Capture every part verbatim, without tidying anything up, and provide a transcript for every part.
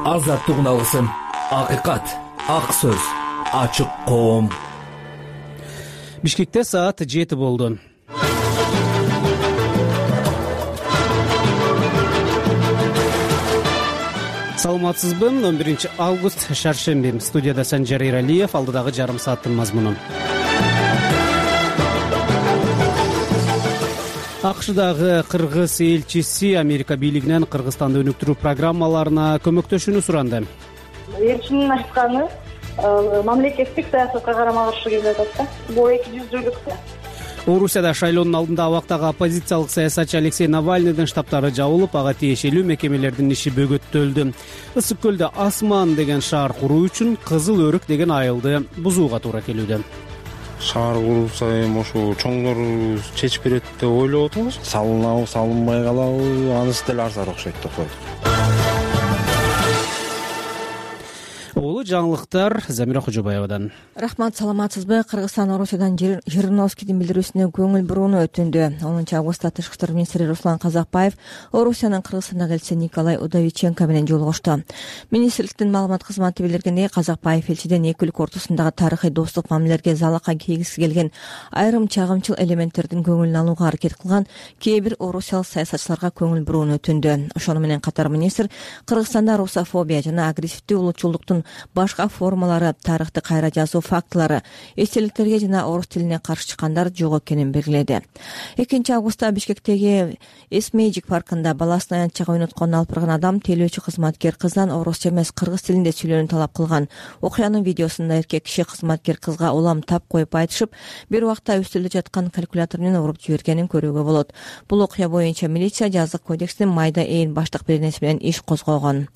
азаттык алсын, акыйкат, ак сөз, ачык коом. Бишкекте саат жети болду. Саламатсызбы? он биринчи август шаршемби. Студияда Санжар Эралиев, алдыдагы жарым сааттын мазмуну. АКШдагы кыргыз элчиси Америка бийлигинен Кыргызстанды өнүктүрүү программаларына көмөктөшүүнү суранды. Элчинин айтканы мамлекеттик саясатка карама каршы келип атат да. Бул эки жүздүүлүк. Орусияда шайлоонун алдында абактагы оппозициялык саясатчы Алексей Навальныйдын штабтары жабылып, ага тиешелүү мекемелердин иши бөгөттөлдү. Ысык көлдө Асман деген шаар куруу үчүн Кызыл өрүк деген айылды бузууга туура келүүдө. Шаар курулса эми ошо чоңдору чечип берет деп ойлоп атабыз. Салынабы, салынбай калабы, анысы деле арзан окшойт деп койдук. Улуу жаңылыктар Замира Кожобаевадан. Рахмат, саламатсызбы? Кыргызстан Орусиядан Жириновскийдин билдирүүсүнө көңүл бурууну өтүндү. онунчу августта Тышкы иштер министри Руслан Казакбаев Орусиянын Кыргызстандагы элчиси Николай Удовиченко менен жолугушту. Министрликтин маалымат кызматы билдиргендей, Казакбаев элчиден эки өлкө ортосундагы тарыхый достук мамилелерге залака кийгиси келген айрым чагымчыл элементтердин көңүлүн алууга аракет кылган кээ бир орусиялык саясатчыларга көңүл бурууну өтүндү. Ошону менен катар министр Кыргызстанда русофобия жана агрессивдүү улутчулдуктун башка формалары, тарыхты кайра жазуу фактылары, эстеликтерге жана орус тилине каршы чыккандар жок экенин белгиледи. экинчи августта Бишкектеги Эсмейжик паркында баласын аянтчага ойнотконун алып барган адам тейлөөчү кызматкер кыздан орусча эмес кыргыз тилинде сүйлөөнү талап кылган. Окуянын видеосунда эркек киши кызматкер кызга улам тап коюп айтышып, бир убакта үстөлдө жаткан калькулятор менен уруп жибергенин көрүүгө болот. Бул окуя боюнча милиция жазык кодекстин майда ээн баштык беренеси менен иш козгогон.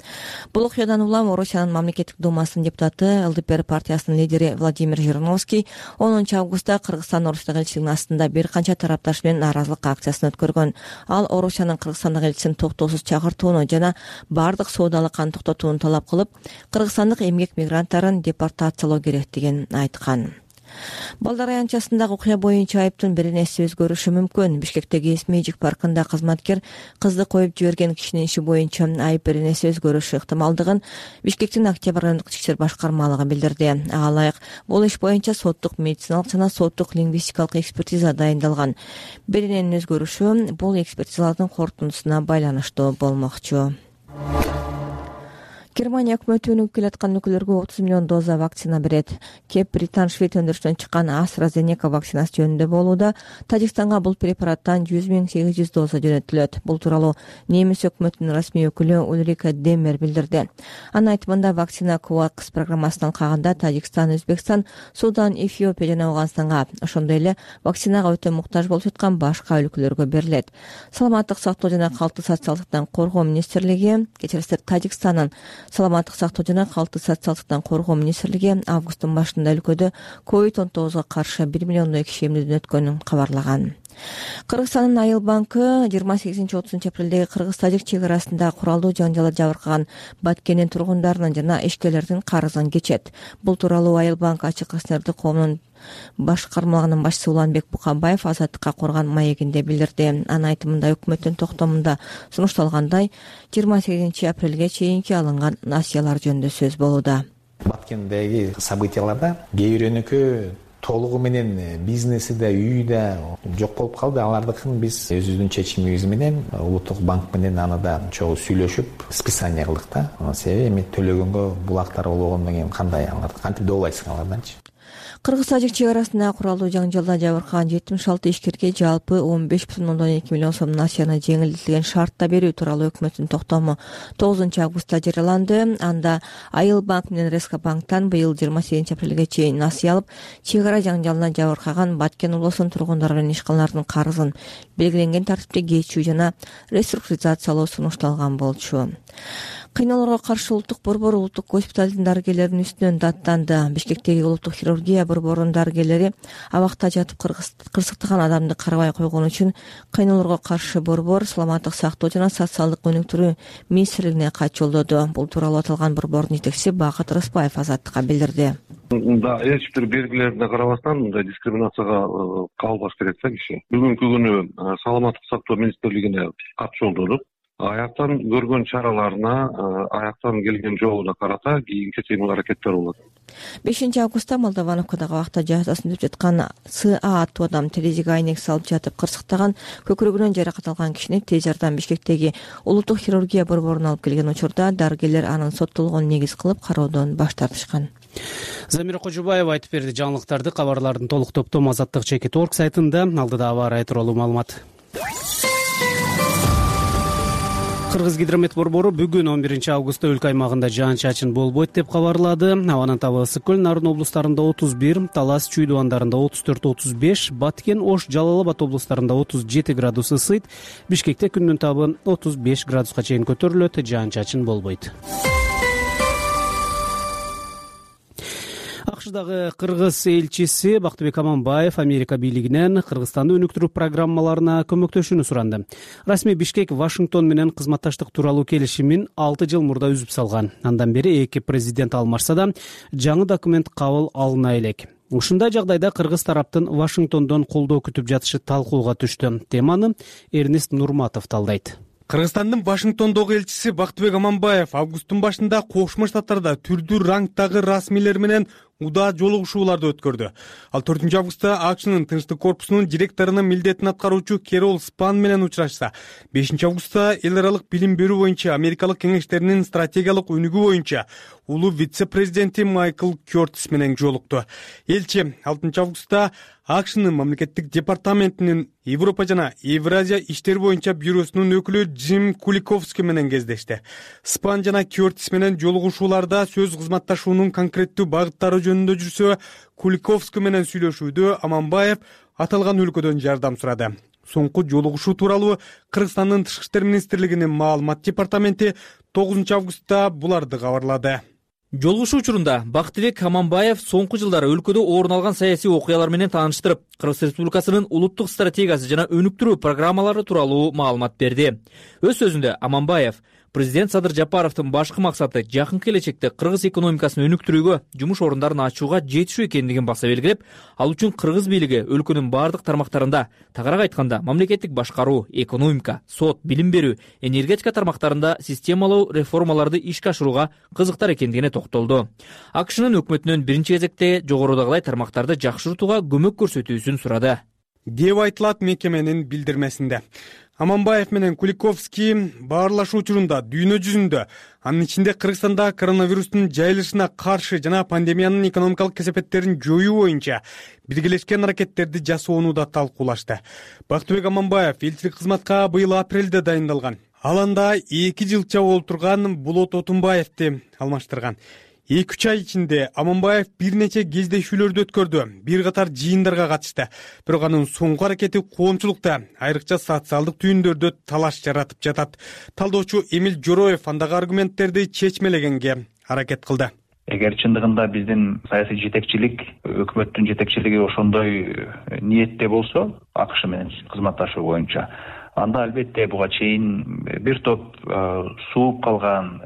Бул окуядан улам Орусиянын мамлекеттик думасынын депутаты ЛДПР партиясынын лидери Владимир Жириновский онунчу августта Кыргызстан Орусиядагы элчилигинин астында бир канча тарапташ менен нааразылык акциясын өткөргөн. Ал Орусиянын Кыргызстандагы элчисин токтоосуз чакыртууну жана бардык соодалык аны токтотууну талап кылып, кыргызстандык эмгек мигранттарын депортациялоо керектигин айткан. Балдар аянтчасындагы окуя боюнча айыптын беренеси өзгөрүшү мүмкүн. Бишкектеги Эсмейжик паркында кызматкер кызды коюп жиберген кишинин иши боюнча айып беренеси өзгөрүшү ыктымалдыгын Бишкектин Октябрь райондук ички иштер башкармалыгы билдирди. Ага ылайык бул иш боюнча соттук медициналык жана соттук лингвистикалык экспертиза дайындалган. Берененин өзгөрүшү бул экспертизалардын корутундусуна байланыштуу болмокчу. Германия өкмөтү өнүгүп келаткан өлкөлөргө отуз миллион доза вакцина берет. Кеп Британ Швед өндүрүшүнөн чыккан AstraZeneca вакцинасы жөнүндө болууда. Тажикстанга бул препараттан жүз миң сегиз жүз доза жөнөтүлөт. Бул тууралуу немис өкмөтүнүн расмий өкүлү Ульрика Демер билдирди. Анын айтымында вакцина COVAX программасынан алкаганда Тажикстан, Өзбекстан, Судан, Эфиопия жана Афганстанга, ошондой эле вакцинага өтө муктаж болуп жаткан башка өлкөлөргө берилет. Саламаттык сактоо жана калктуу социалдыктан коргоо министрлиги, кечиресиздер, Тажикстандын Саламаттык сактоо жана калктуу социалдыктан коргоо министрлиги августтун башында өлкөдө ковид он тогузга каршы бир миллиондой киши эмдөөдөн өткөнүн кабарлаган. Кыргызстандын Айыл банкы жыйырма сегизинчи отузунчу апрелдеги кыргыз-тажик чек арасында куралдуу жанжалды жабыркаган Баткендин тургундарынын жана ишкерлердин карызын кечет. Бул тууралуу Айыл банк ачык акционердик коомунун башкармалыгынын башчысы Уланбек Буканбаев Азаттыкка курган маегинде билдирди. Анын айтымында өкмөттүн токтомунда сунушталгандай жыйырма сегизинчи апрелге чейинки алынган насыялар жөнүндө сөз болууда. Баткендеги событияларда кээ бир өнөкө толугу менен бизнеси да, үйү да жок болуп калды. Алардыкын биз өзүбүздүн чечимибиз менен Улуттук банк менен аны да чогуу сүйлөшүп списание кылдык да. Себеби эми төлөгөнгө булактар болгондон кийин кандай аларды кантип добулайсың аларданчы? Кыргыз-тажик чек арасында куралдуу жанжалда жабыркаган жетимиш алты ишкерге жалпы он беш бүтүн ондон эки миллион сом насыяны жеңилдетилген шартта берүү тууралуу өкмөттүн токтому тогузунчу августта жарыяланды. Анда Айыл банк менен Реска банктан быйыл жыйырма сегизинчи апрелге чейин насыя алып, чек ара жаңжалынан жабыркаган Баткен улусунун тургундары менен ишканалардын карызын белгиленген тартипте кечүү жана реструктуризациялоо сунушталган болчу. Кыйноолорго каршы улуттук борбор улуттук госпиталдын дарыгерлеринин үстүнөн даттанды. Бишкектеги улуттук хирургия борборунун дарыгерлери абакта жатып кырсыктаган адамды карабай койгон үчүн кыйноолорго каршы борбор Саламаттык сактоо жана социалдык өнүктүрүү министрлигине кат жолдоду. Бул тууралуу аталган борбордун жетекчиси Бакыт Рыспаев Азаттыкка билдирди. Да, эч бир белгилерине карабастан мындай дискриминацияга кабылбаш керек да киши. Бүгүнкү күнү Саламаттык сактоо министрлигине кат жолдодук. аяктан көргөн чараларына, аяктан келген жолуна карата кийинки кыймыл аракеттер болот. бешинчи августта Молдовановкадагы акта жазасын өтөп жаткан С А аттуу адам терезеге айнек салып жатып кырсыктаган, көкүрөгүнөн жаракат алган кишини тез жардам Бишкектеги улуттук хирургия борборуна алып келген учурда дарыгерлер анын соттолгонун негиз кылып кароодон баш тартышкан. Замира Кожубаева айтып берди. Жаңылыктарды, кабарлардын толук топтому Азаттык чекит точка орг сайтында. Алдыда аба ырайы тууралуу маалымат. Кыргыз гидромет борбору бүгүн он биринчи августта өлкө аймагында жаан-чачын болбойт деп кабарлады. Абанын табы Ысык көл, Нарын облустарында отуз бир, Талас, Чүй дубандарында отуз төрт отуз беш, Баткен, Ош, Жалал Абад облустарында отуз жети градус ысыйт. Бишкекте күндүн табы отуз беш градуска чейин көтөрүлөт, жаан-чачын болбойт. АКШдагы кыргыз элчиси Бактыбек Аманбаев Америка бийлигинен Кыргызстанды өнүктүрүү программаларына көмөктөшүүнү суранды. Расмий Бишкек Вашингтон менен кызматташтык тууралуу келишимин алты жыл мурда үзүп салган. Андан бери эки президент алмашса да, жаңы документ кабыл алына элек. Ушундай жагдайда кыргыз тараптын Вашингтондон колдоо күтүп жатышы талкууга түштү. Теманы Эрнест Нурматов талдайт. Кыргызстандын Вашингтондогу элчиси Бактыбек Аманбаев августтун башында Кошмо Штаттарда түрдүү рангдагы расмийлер менен удаа жолугушууларды өткөрдү. Ал төртүнчү августта АКШнын Тынчтык корпусунун директорунун милдетин аткаруучу Керол Спан менен учурашса, бешинчи августта эл аралык билим берүү боюнча Америкалык кеңештеринин стратегиялык өнүгүү боюнча улуу вице-президенти Майкл Кёртис менен жолукту. Элчи алтынчы августта АКШнын мамлекеттик департаментинин Европа жана Евразия иштери боюнча бюросунун өкүлү Джим Куликовский менен кездешти. Спан жана Кёртис менен жолугушууларда сөз кызматташуунун конкреттүү багыттары жөнүндө жүрсө, Куликовский менен сүйлөшүүдө Аманбаев аталган өлкөдөн жардам сурады. Соңку жолугушуу тууралуу Кыргызстандын Тышкы иштер министрлигинин маалымат департаменти тогузунчу августта буларды кабарлады. Жолугушуу учурунда Бактыбек Аманбаев соңку жылдары өлкөдө орун алган саясий окуялар менен тааныштырып, Кыргыз Республикасынын улуттук стратегиясы жана өнүктүрүү программалары тууралуу маалымат берди. Өз сөзүндө Аманбаев президент Садыр Жапаровдун башкы максаты жакынкы келечекте кыргыз экономикасын өнүктүрүүгө, жумуш орундарын ачууга жетишүү экендигин баса белгилеп, ал үчүн кыргыз бийлиги өлкөнүн бардык тармактарында, тагыраак айтканда мамлекеттик башкаруу, экономика, сот, билим берүү, энергетика тармактарында системалуу реформаларды ишке ашырууга кызыктар экендигине токтолду. АКШнын өкмөтүнөн биринчи кезекте жогорудагылай тармактарды жакшыртууга көмөк көрсөтүүсүн сурады, деп айтылат мекеменин билдирмесинде. Аманбаев менен Куликовский баарлашуу учурунда дүйнө жүзүндө, анын ичинде Кыргызстанда коронавирустун жайылышына каршы жана пандемиянын экономикалык кесепеттерин жоюу боюнча биргелешкен аракеттерди жасоону да талкуулашты. Бактыбек Аманбаев элчилик кызматка быйыл апрелде дайындалган. Ал анда эки жылча болуп турган Болот Отунбаевди алмаштырган. эки үч ай ичинде Аманбаев бир нече кездешүүлөрдү өткөрдү, бир катар жыйындарга катышты. Бирок анын соңку аракети коомчулукта, айрыкча социалдык түйүндөрдө талаш жаратып жатат. Талдоочу Эмил Жороев андагы аргументтерди чечмелегенге аракет кылды. Эгер чындыгында биздин саясий жетекчилик, өкмөттүн жетекчилиги ошондой ниетте болсо, АКШ менен кызматташуу боюнча, анда албетте буга чейин бир топ сууп калган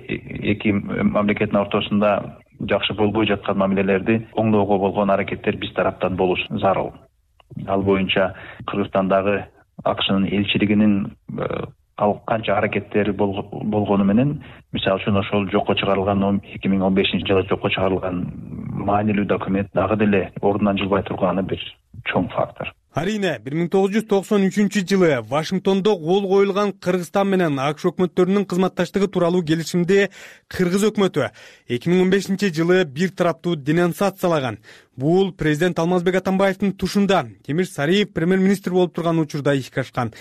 эки мамлекеттин ортосунда жакшы болбой жаткан мамилелерди оңдоого болгон аракеттер биз тараптан болуш зарыл. Ал боюнча Кыргызстандагы АКШнын элчилигинин канча аракеттери болгону менен, мисалы үчүн ошол жокко чыгарылган эки миң он бешинчи жылы жокко чыгарылган маанилүү документ дагы деле ордунан жылбай турганы бир чоң фактор. Арине, бир миң тогуз жүз токсон үчүнчү жылы Вашингтондо кол коюлган Кыргызстан менен АКШ өкмөттөрүнүн кызматташтыгы тууралуу келишимди Кыргыз өкмөтү эки миң он бешинчи жылы бир тараптуу денонсациялаган. Бул президент Алмазбек Атамбаевдин тушунда Темир Сариев премьер-министр болуп турган учурда ишке ашкан.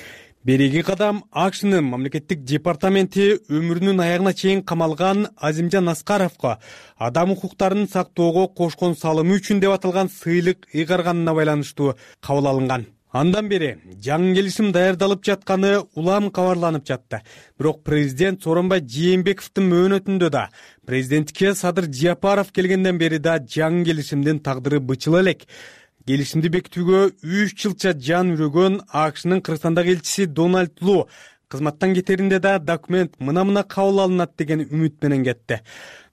Береги кадам АКШнын мамлекеттик департаменти өмүрүнүн аягына чейин камалган Азимжан Аскаровго адам укуктарын сактоого кошкон салымы үчүн деп аталган сыйлык ыйгарганына байланыштуу кабыл алынган. Андан бери жаңы келишим даярдалып жатканы улам кабарланып жатты. Бирок президент Сооронбай Жээнбековдун мөөнөтүндө да, президентке Садыр Жапаров келгенден бери да жаңы келишимдин тагдыры бычыла элек. Келишимди бекитүүгө үч жылча жан үрөгөн АКШнын Кыргызстандагы элчиси Дональд Лу кызматтан кетеринде да документ мына-мына кабыл алынат деген үмүт менен кетти.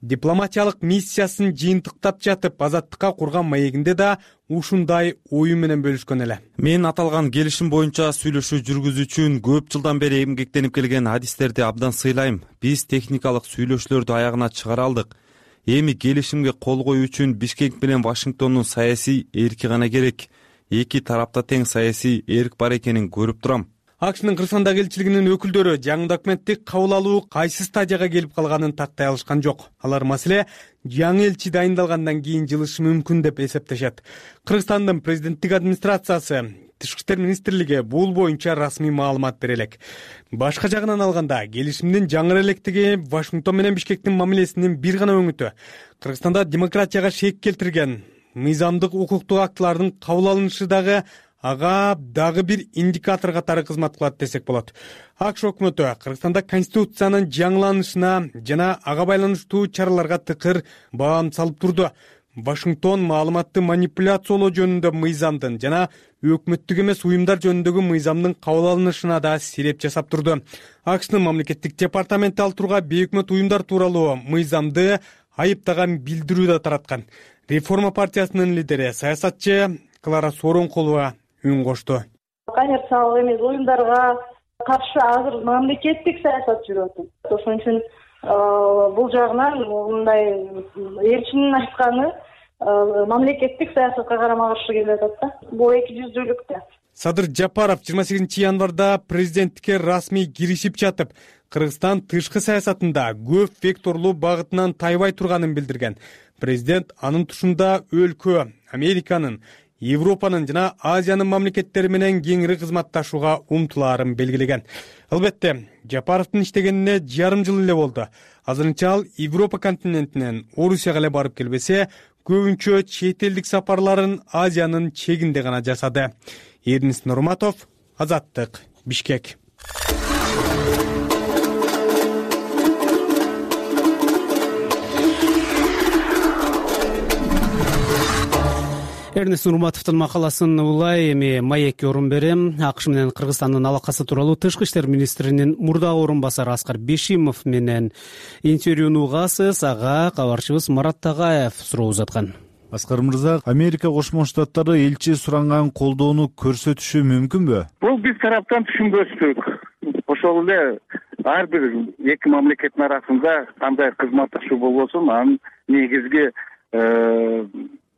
Дипломатиялык миссиясын жыйынтыктап жатып, Азаттыкка курган маегинде да ушундай ою менен бөлүшкөн эле. Мен аталган келишим боюнча сүйлөшүү жүргүзүү үчүн көп жылдан бери эмгектенип келген адистерди абдан сыйлайм. Биз техникалык сүйлөшүүлөрдү аягына чыгара алдык. Эми келишимге кол коюу үчүн Бишкек менен Вашингтондун саясий эрки гана керек. Эки тарапта тең саясий эрк бар экенин көрүп турам. АКШнын Кыргызстандагы элчилигинин өкүлдөрү жаңы документти кабыл алуу кайсы стадияга келип калганын тактай алышкан жок. Алар маселе жаңы элчи дайындалгандан кийин жылышы мүмкүн деп эсептешет. Кыргызстандын президенттик администрациясы, Тышкы иштер министрлиги бул боюнча расмий маалымат бере элек. Башка жагынан алганда, келишимдин жаңы электиги Вашингтон менен Бишкектин мамилесинин бир гана өңүтү. Кыргызстанда демократияга шек келтирген мыйзамдык укуктук актылардын кабыл алынышы дагы ага дагы бир индикатор катары кызмат кылат десек болот. АКШ өкмөтү Кыргызстанда конституциянын жаңыланышына жана ага байланыштуу чараларга тыкыр баам салып турду. Вашингтон маалыматты манипуляциялоо жөнүндө мыйзамдын жана өкмөттүк эмес уюмдар жөнүндөгү мыйзамдын кабыл алынышына да сереп жасап турду. АКШнын мамлекеттик департаменти ал турга бейөкмөт уюмдар тууралуу мыйзамды айыптаган билдирүү да тараткан. Реформа партиясынын лидери, саясатчы Клара Сооронкулова үн кошту. Коммерциялык эмес уюмдарга каршы азыр мамлекеттик саясат жүрүп атат. Ошон үчүн бул жагынан мындай элчинин айтканы мамлекеттик саясатка карама каршы келип атат да. Бул эки жүздүүлүктө. Садыр Жапаров жыйырма сегизинчи январда президенттикке расмий киришип жатып, Кыргызстан тышкы саясатында көп векторлуу багытынан тайбай турганын билдирген. Президент анын тушунда өлкө, Американын, Европанын жана Азиянын мамлекеттери менен кеңири кызматташууга умтулаарын белгилеген. Албетте, Жапаровдун иштегенине жарым жыл эле болду. Азырынча ал Европа континентинен Орусияга эле барып келбесе, көбүнчө чет элдик сапарларын Азиянын чегинде гана жасады. Эрнис Нурматов, Азаттык, Бишкек. Эрнис Нурматовдун макаласын улай эми маекке орун берем. АКШ менен Кыргызстандын алакасы тууралуу Тышкы иштер министринин мурдагы орун басары Аскар Бешимов менен интервьюну угасыз. Ага кабарчыбыз Марат Тагаев суроо узаткан. Аскар мырза, Америка Кошмо Штаттары элчи суранган колдоону көрсөтүшү мүмкүнбү? Бул биз тараптан түшүнбөстүк. Ошол эле ар бир эки мамлекеттин арасында кандай кызматташуу болбосун, анын негизги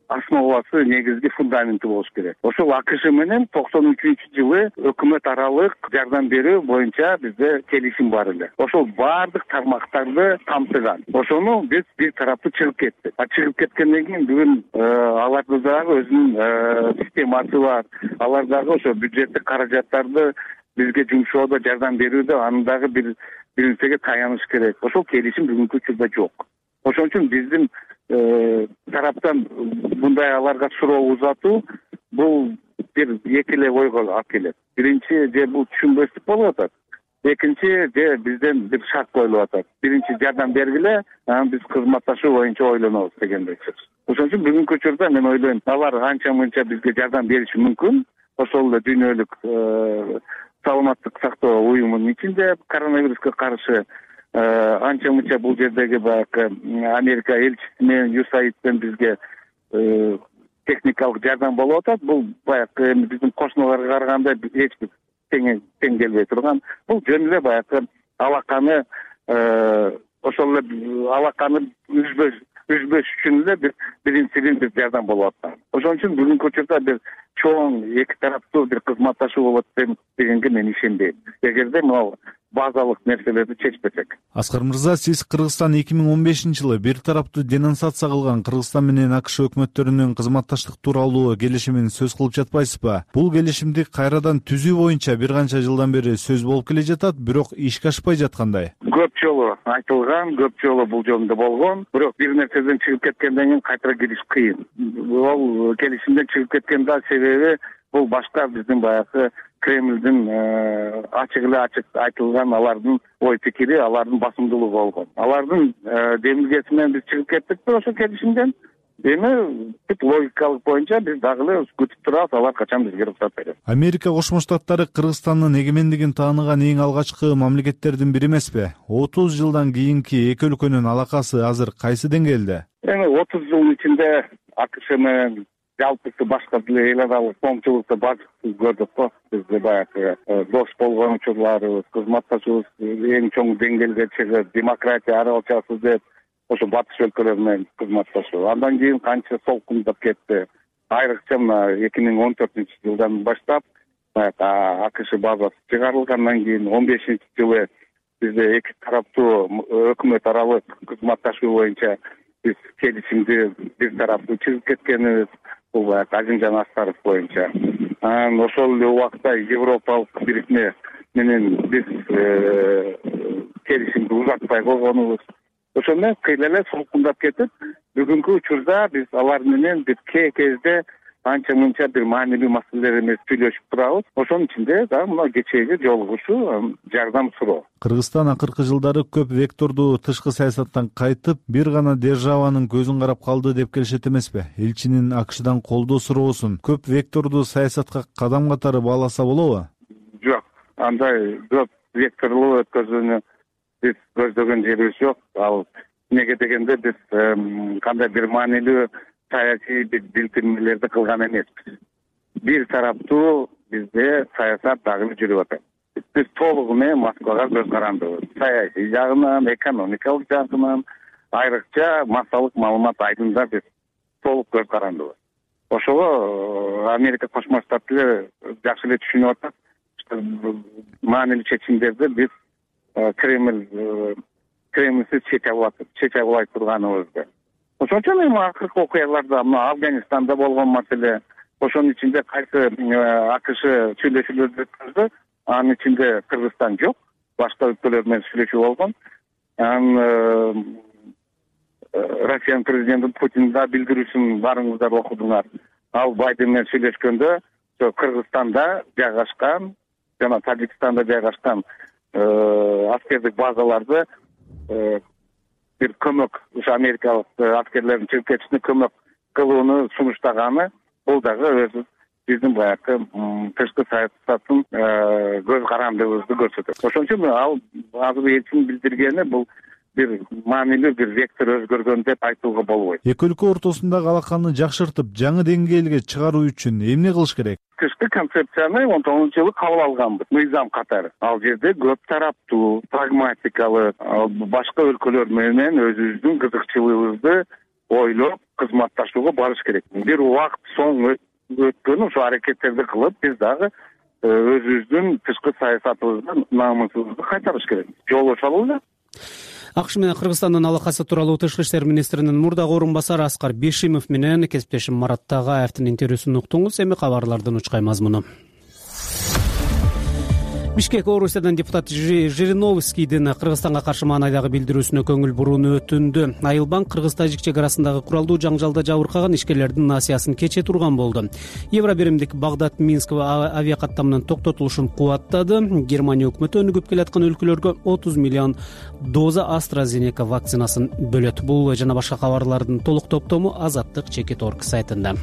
основасы, негизги фундаменти болуш керек. Ошол АКШ менен токсон үчүнчү жылы өкмөт аралык жардам берүү боюнча бизде келишим бар эле. Ошол баардык тармактарды камтыган. Ошону биз бир тараптуу чыгып кеттик. А чыгып кеткенден кийин бүгүн алардын дагы өзүнүн системасы бар. Алар дагы ошо бюджеттик каражаттарды бизге жумшоодо жардам берүүдө анын дагы бир бир нерсеге таяныш керек. Ошол келишим бүгүнкү учурда жок. Ошон үчүн биздин тараптан мындай аларга суроо узатуу бул бир эки эле ойго алып келет. Биринчи, же бул түшүнбөстүк болуп атат. Экинчи, же бизден бир шарт коюлуп атат. Биринчи жардам бергиле, анан биз кызматташуу боюнча ойлонобуз дегендей сөз. Ошон үчүн бүгүнкү учурда мен ойлойм, алар анча-мынча бизге жардам бериши мүмкүн. Ошол эле дүйнөлүк саламаттык сактоо уюмунун ичинде коронавируска каршы анча-мынча бул жердеги баягы Америка элчиси менен ю эс эй ай ден бизге техникалык жардам болуп атат. Бул баягы эми биздин кошуналарга караганда эч бир тең тең келбей турган. Бул жөн эле баягы алаканы ошол эле алаканы үзбөш үзбөш үчүн эле бир биринчиден бир жардам болуп атат. Ошон үчүн бүгүнкү учурда бир чоң эки тараптуу бир кызматташуу болот дегенге мен ишенбейм. Эгерде могу базалык нерселерди чечпесек. Аскар мырза, сиз Кыргызстан эки миң он бешинчи жылы бир тараптуу денонсация кылган Кыргызстан менен АКШ өкмөттөрүнүн кызматташтык тууралуу келишимин сөз кылып жатпайсызбы? Бул келишимди кайрадан түзүү боюнча бир канча жылдан бери сөз болуп келе жатат, бирок ишке ашпай жаткандай. Көп жолу айтылган, көп жолу бул жөнүндө болгон, бирок бир нерседен чыгып кеткенден кийин кайтара кириш кыйын. Бул келишимден чыгып кеткен да себеби бул башка биздин баягы Кремлдин ачык эле ачык айтылган алардын ой пикири, алардын басымдуулугу болгон. Алардын демилгеси менен биз чыгып кеттик, ошо келишимден эми бүт логикалык боюнча биз дагы эле күтүп турабыз, алар качан бизге уруксат берет. Америка Кошмо Штаттары Кыргызстандын эгемендигин тааныган эң алгачкы мамлекеттердин бири эмеспи? отуз жылдан кийинки эки өлкөнүн алакасы азыр кайсы деңгээлде? Эми отуз жылдын ичинде АКШ менен жалпысы башка деле эл аралык коомчулукта бардык көрдүк го. Бизде баягы дос болгон учурларыбыз, кызматташыбыз эң чоң деңгээлге чыгып, демократия аралашасыз деп ошо батыш өлкөлөр менен кызматташуу. Андан кийин канча солкундап кетти. Айрыкча мына эки миң он төртүнчү жылдан баштап баягы АКШ базасы чыгарылгандан кийин он бешинчи жылы бизде эки тараптуу өкмөт аралык кызматташуу боюнча биз келишимди бир тараптуу чыгып кеткенбиз. Бул баягы Азимжан Аскаров боюнча. Анан ошол эле убакта Европалык бирикме менен биз келишимди узатпай койгонубуз. Ошол менен кыйла эле солкундап кетип, бүгүнкү учурда биз алар менен бир кээ кезде анча мынча бир маанилүү маселелер эмес сүйлөшүп турабыз. Ошонун ичинде да мына кечээги жолугушуу, жардам суроо. Кыргызстан акыркы жылдары көп вектордуу тышкы саясаттан кайтып, бир гана державанын көзүн карап калды деп келишет эмеспи? Элчинин АКШдан колдоо суроосун көп вектордуу саясатка кадам катары бааласа болобу? Жок, андай көп векторлуу өткөзүүнү биз көздөгөн жерибиз жок. Ал эмнеге дегенде биз кандай бир маанилүү саясий билдирмелерди кылган эмеспиз. Бир тараптуу бизде саясат дагы жүрүп атат. Биз толугу менен Москвага көз карандыбыз. Саясий жагынан, экономикалык жагынан, айрыкча массалык маалымат айдында биз толук көз карандыбыз. Ошого Америка Кошмо Штаттары жакшы эле түшүнүп атат. Маанилүү чечимдерди биз Кремль Кремльсиз чече албай турганыбызды. Ошон үчүн эми акыркы окуяларда мына Афганистанда болгон маселе, ошонун ичинде кайсы АКШ сүйлөшүүлөрдү өткөздү, анын ичинде Кыргызстан жок, башка өлкөлөр менен сүйлөшүү болгон. Анан Россиянын президенти Путин да билдирүүсүн барыңыздар окудуңар. Ал Байден менен сүйлөшкөндө Кыргызстанда жайгашкан жана Тажикстанда жайгашкан аскердик базаларды бир көмөк, ушу америкалык аскерлердин чыгып кетишине көмөк кылууну сунуштаганы, бул дагы өзү биздин баягы тышкы саясаттын көз карандыбызды көрсөтөт. Ошон үчүн ал азыр элчинин билдиргени бул бир маанилүү бир вектор өзгөргөн деп айтууга болбойт. Эки өлкө ортосундагы алаканы жакшыртып, жаңы деңгээлге чыгаруу үчүн эмне кылыш керек? Тышкы концепцияны он тогузунчу жылы кабыл алганбыз, мыйзам катары. Ал жерде көп тараптуу, прагматикалык, башка өлкөлөр менен өзүбүздүн кызыкчылыгыбызды ойлоп, кызматташууга барыш керек. Бир убакыт соң өткөн ошо аракеттерди кылып, биз дагы өзүбүздүн тышкы саясатыбызды, намысыбызды кайтарыш керек. Жолугуша алалы. АКШ менен Кыргызстандын алакасы тууралуу Тышкы иштер министринин мурдагы орун басары Аскар Бешимов менен кесиптешим Марат Тагаевдин интервьюсун уктуңуз. Эми кабарлардын учкай мазмуну. Бишкек Орусиядан депутат Жириновскийдин Кыргызстанга каршы маанайдагы билдирүүсүнө көңүл бурууну өтүндү. Айылбанк Кыргыз-Тажик чек арасындагы куралдуу жаңжалда жабыркаган ишкерлердин насыясын кече турган болду. Евробиримдик Багдад-Минск авиакаттамынын токтотулушун кубаттады. Германия өкмөтү өнүгүп келаткан өлкөлөргө отуз миллион доза AstraZeneca вакцинасын бөлөт. Бул жана башка кабарлардын толук топтому Азаттык чекит точка орг сайтында.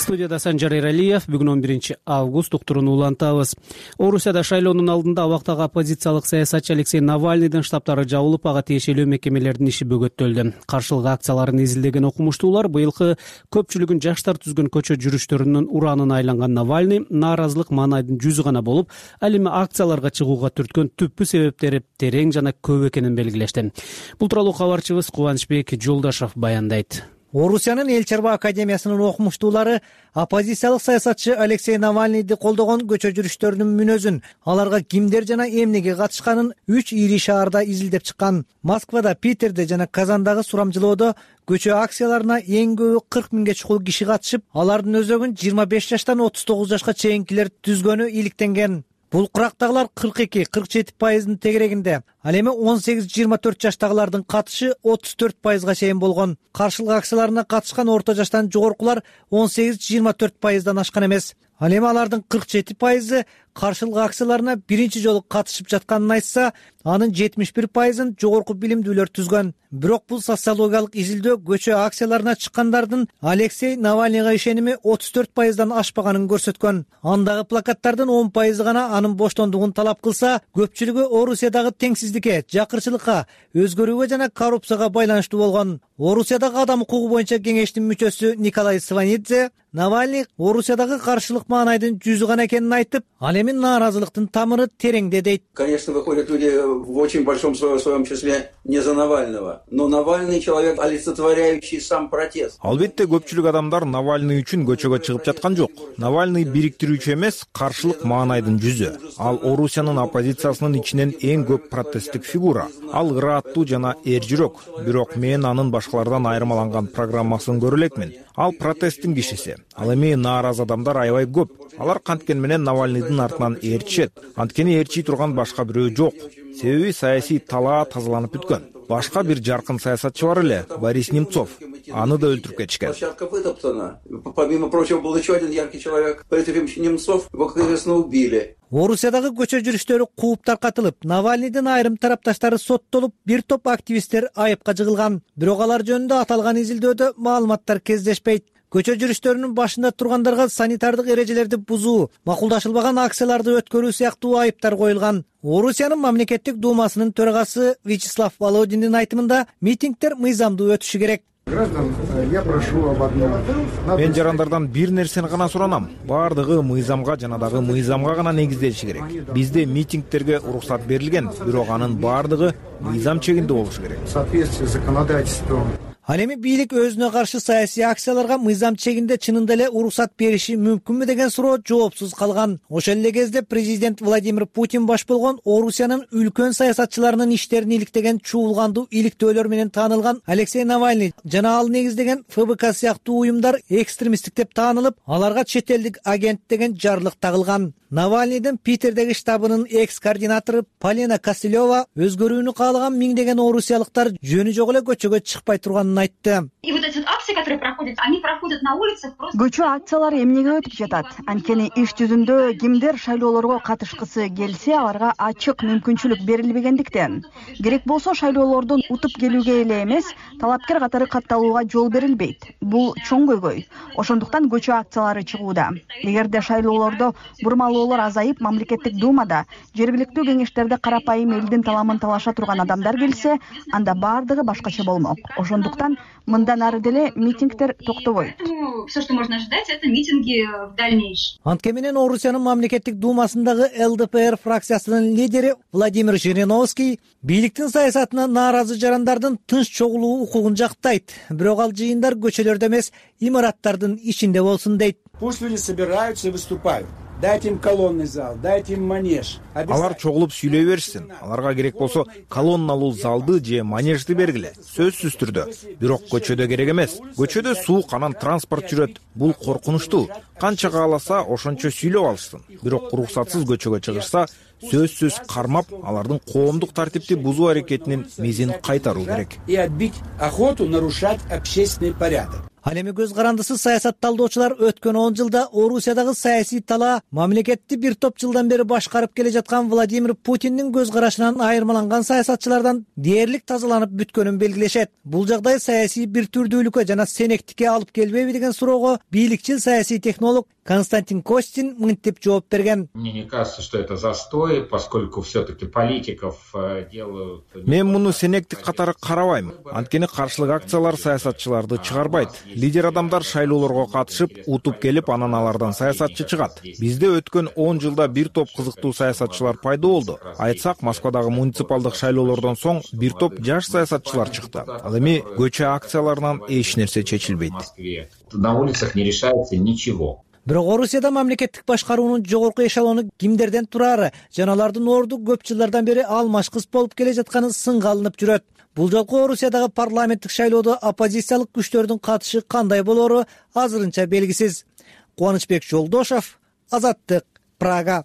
Студияда Санжар Эралиев. Бүгүн он биринчи август уктурууну улантабыз. Орусияда шайлоонун алдында убактагы оппозициялык саясатчы Алексей Навальныйдын штабтары жабылып, ага тиешелүү мекемелердин иши бөгөттөлдү. Каршылык акцияларын изилдеген окумуштуулар быйылкы көпчүлүгүн жаштар түзгөн көчө жүрүштөрүнүн ураанына айланган Навальный нааразылык маанайдын жүзү гана болуп, ал эми акцияларга чыгууга түрткөн түпкү себептери терең жана көп экенин белгилешти. Бул тууралуу кабарчыбыз Кубанычбек Жолдашев баяндайт. Орусиянын Эл Чарба академиясынын окумуштуулары оппозициялык саясатчы Алексей Навальныйды колдогон көчө жүрүштөрүнүн мүнөзүн, аларга кимдер жана эмнеге катышканын үч ири шаарда изилдеп чыккан. Москвада, Питерде жана Казандагы сурамжылоодо көчө акцияларына эң көбү кырк миңге чукул киши катышып, алардын өзөгүн жыйырма беш жаштан отуз тогуз жашка чейинкилер түзгөнү иликтенген. Бул курактагылар кырк эки кырк жети пайыздын тегерегинде. Ал эми он сегиз жыйырма төрт жаштагылардын катышы отуз төрт пайызга чейин болгон. Каршылык акцияларына катышкан орто жаштан жогоркулар он сегиз жыйырма төрт пайыздан ашкан эмес. Ал эми алардын кырк жети пайызы каршылык акцияларына биринчи жолу катышып жатканын айтса, анын жетимиш бир пайызын жогорку билимдүүлөр түзгөн. Бирок бул социологиялык изилдөө көчө акцияларына чыккандардын Алексей Навальныйга ишеними отуз төрт пайыздан ашпаганын көрсөткөн. Андагы плакаттардын он пайызы гана анын боштондугун талап кылса, көпчүлүгү Орусиядагы теңсиздикке, жакырчылыкка, өзгөрүүгө жана коррупцияга байланыштуу болгон. Орусиядагы адам укугу боюнча кеңештин мүчөсү Николай Сванидзе Навальный Орусиядагы каршылык маанайдын жүзү гана экенин айтып, ал эми нааразылыктын тамыры тереңде дейт. Конечно, выходят люди в очень большом своем числе не за Навального, но Навальный человек, олицетворяющий сам протест. Албетте көпчүлүк адамдар Навальный үчүн көчөгө чыгып жаткан жок. Навальный бириктирүүчү эмес, каршылык маанайдын жүзү. Ал Орусиянын оппозициясынын ичинен эң көп протесттик фигура. Ал ырааттуу жана эр жүрөк. Бирок мен анын башкалардан айырмаланган программасын көрө элекмин. Ал протесттин кишиси. Ал эми нааразы адамдар аябай көп. Алар канткен менен Навальныйдын артынан ээрчишет. Анткени ээрчий турган башка бирөө жок. Себеби саясий талаа тазаланып бүткөн. Башка бир жаркын саясатчы бар эле, Борис Немцов. Аны да өлтүрүп кетишкен. Площадка вытоптана. Помимо прочего, был еще один яркий человек, Борис Ефимович Немцов. Его, как известно, убили. Орусиядагы көчө жүрүштөрү кууп таркатылып, Навальныйдын айрым тарапташтары соттолуп, бир топ активисттер айыпка жыгылган. Бирок алар жөнүндө аталган изилдөөдө маалыматтар кездешпейт. Көчө жүрүштөрүнүн башында тургандарга санитардык эрежелерди бузуу, макулдашылбаган акцияларды өткөрүү сыяктуу айыптар коюлган. Орусиянын мамлекеттик думасынын төрагасы Вячеслав Володиндин айтымында митингдер мыйзамдуу өтүшү керек. Граждан, я прошу об одном. Мен жарандардан бир нерсени гана суранам. Бардыгы мыйзамга жана дагы мыйзамга гана негизделиши керек. Бизде митингтерге уруксат берилген, бирок анын бардыгы мыйзам чегинде болушу керек. В соответствии с законодательством. Ал эми бийлик өзүнө каршы саясий акцияларга мыйзам чегинде чынында эле уруксат бериши мүмкүнбү деген суроо жоопсуз калган. Ошол эле кезде президент Владимир Путин баш болгон Орусиянын үлкөн саясатчыларынын иштерин иликтеген чуулгандуу иликтөөлөр менен таанылган Алексей Навальный жана ал негиздеген эф бэ ка сыяктуу уюмдар экстремисттик деп таанылып, аларга чет элдик агент деген жарлык тагылган. Навальныйдын Питердеги штабынын экс-координатору Полина Костылева өзгөрүүнү каалаган миңдеген орусиялыктар жөнү жок эле көчөгө чыкпай турганын айтты. И вот эти акции, которые проходят, они проходят на улицах просто. Көчө акциялары эмнеге өтүп жатат? Анткени иш жүзүндө кимдер шайлоолорго катышкысы келсе, аларга ачык мүмкүнчүлүк берилбегендиктен. Керек болсо шайлоолордон утуп келүүгө эле эмес, талапкер катары катталууга жол берилбейт. Бул чоң көйгөй. Ошондуктан көчө акциялары чыгууда. Эгерде шайлоолордо бурмалуу азайып, мамлекеттик думада, жергиликтүү кеңештерде карапайым элдин таламын талаша турган адамдар келсе, анда бардыгы башкача болмок. Ошондуктан мындан ары деле митингдер токтобойт. Все, что можно ожидать, это митинги в дальнейшем. Антке менен Орусиянын мамлекеттик думасындагы эл дэ пэ эр фракциясынын лидери Владимир Жириновский бийликтин саясатына нааразы жарандардын тынч чогулуу укугун жактайт. Бирок ал жыйындар көчөлөрдө эмес, имараттардын ичинде болсун дейт. Пусть люди собираются и выступают. Дайте им колонный зал, дайте им манеж. Алар чогулуп сүйлөй беришсин. Аларга керек болсо колонналуу залды же манежди бергиле. Сөзсүз түрдө. Бирок көчөдө керек эмес. Көчөдө суук анан транспорт жүрөт. Бул коркунучтуу. Канча кааласа ошончо сүйлөп алышсын. Бирок уруксатсыз көчөгө чыгышса, сөзсүз кармап, алардын коомдук тартипти бузуу аракетинин мезин кайтаруу керек. И отбить охоту нарушать общественный порядок. Ал эми көз карандысыз саясатталдоочулар өткөн он жылда Орусиядагы саясий талаа мамлекетти бир топ жылдан бери башкарып келе жаткан Владимир Путиндин көз карашынан айырмаланган саясатчылардан дээрлик тазаланып бүткөнүн белгилешет. Бул жагдай саясий бир түрдүүлүккө жана сенектикке алып келбейби деген суроого бийликчил саясий технолог Константин Костин мынтип жооп берген. Мне не кажется, что это застой, поскольку все-таки политиков делают. Мен муну сенектик катары карабайм. Анткени каршылык акциялар саясатчыларды чыгарбайт. Лидер адамдар шайлоолорго катышып, утуп келип, анан алардан саясатчы чыгат. Бизде өткөн он жылда бир топ кызыктуу саясатчылар пайда болду. Айтсак, Москвадагы муниципалдык шайлоолордон соң бир топ жаш саясатчылар чыкты. Ал эми көчө акцияларынан эч нерсе чечилбейт. На улицах не решается ничего. Бирок Орусияда мамлекеттик башкаруунун жогорку эшелону кимдерден турары жана алардын орду көп жылдардан бери алмашкыс болуп келе жатканы сынга алынып жүрөт. Бул жолку Орусиядагы парламенттик шайлоодо оппозициялык күчтөрдүн катышы кандай болору азырынча белгисиз. Кубанычбек Жолдошов, Азаттык, Прага.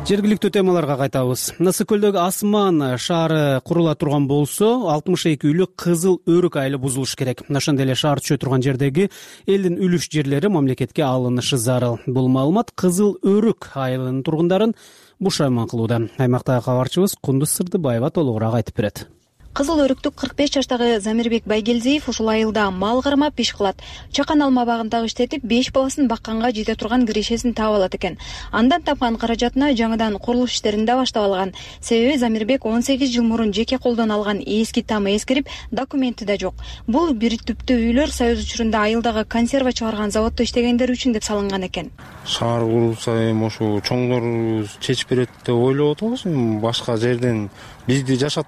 Жергиликтүү темаларга кайтабыз. Ысык көлдөгү Асман шаары курула турган болсо, алтымыш эки үйлүк Кызыл Өрүк айылы бузулуш керек. Ошондой эле шаар түшө турган жердеги элдин үлүш жерлери мамлекетке алынышы зарыл. Бул маалымат Кызыл Өрүк айылынын тургундарын бушайман кылууда. Аймактагы кабарчыбыз Кундуз Сырдыбаева толугураак айтып берет. Кызыл Өрүктүк кырк беш жаштагы Замирбек Байгелдиев ушул айылда мал кармап иш кылат. Чакан алма багындагы иштетип, беш баласын бакканга жете турган кирешесин таап алат экен. Андан тапкан каражатына жаңыдан курулуш иштерин да баштап алган. Себеби Замирбек он сегиз жыл мурун жеке колдон алган эски тамы эскирип, документи да жок. Бул бир түптүү үйлөр Союз учурунда айылдагы консерва чыгарган заводдо иштегендер үчүн деп салынган экен. Шаар курулса эми ошо чоңдор чечип берет деп ойлоп атабыз. Башка жерден бизди жашат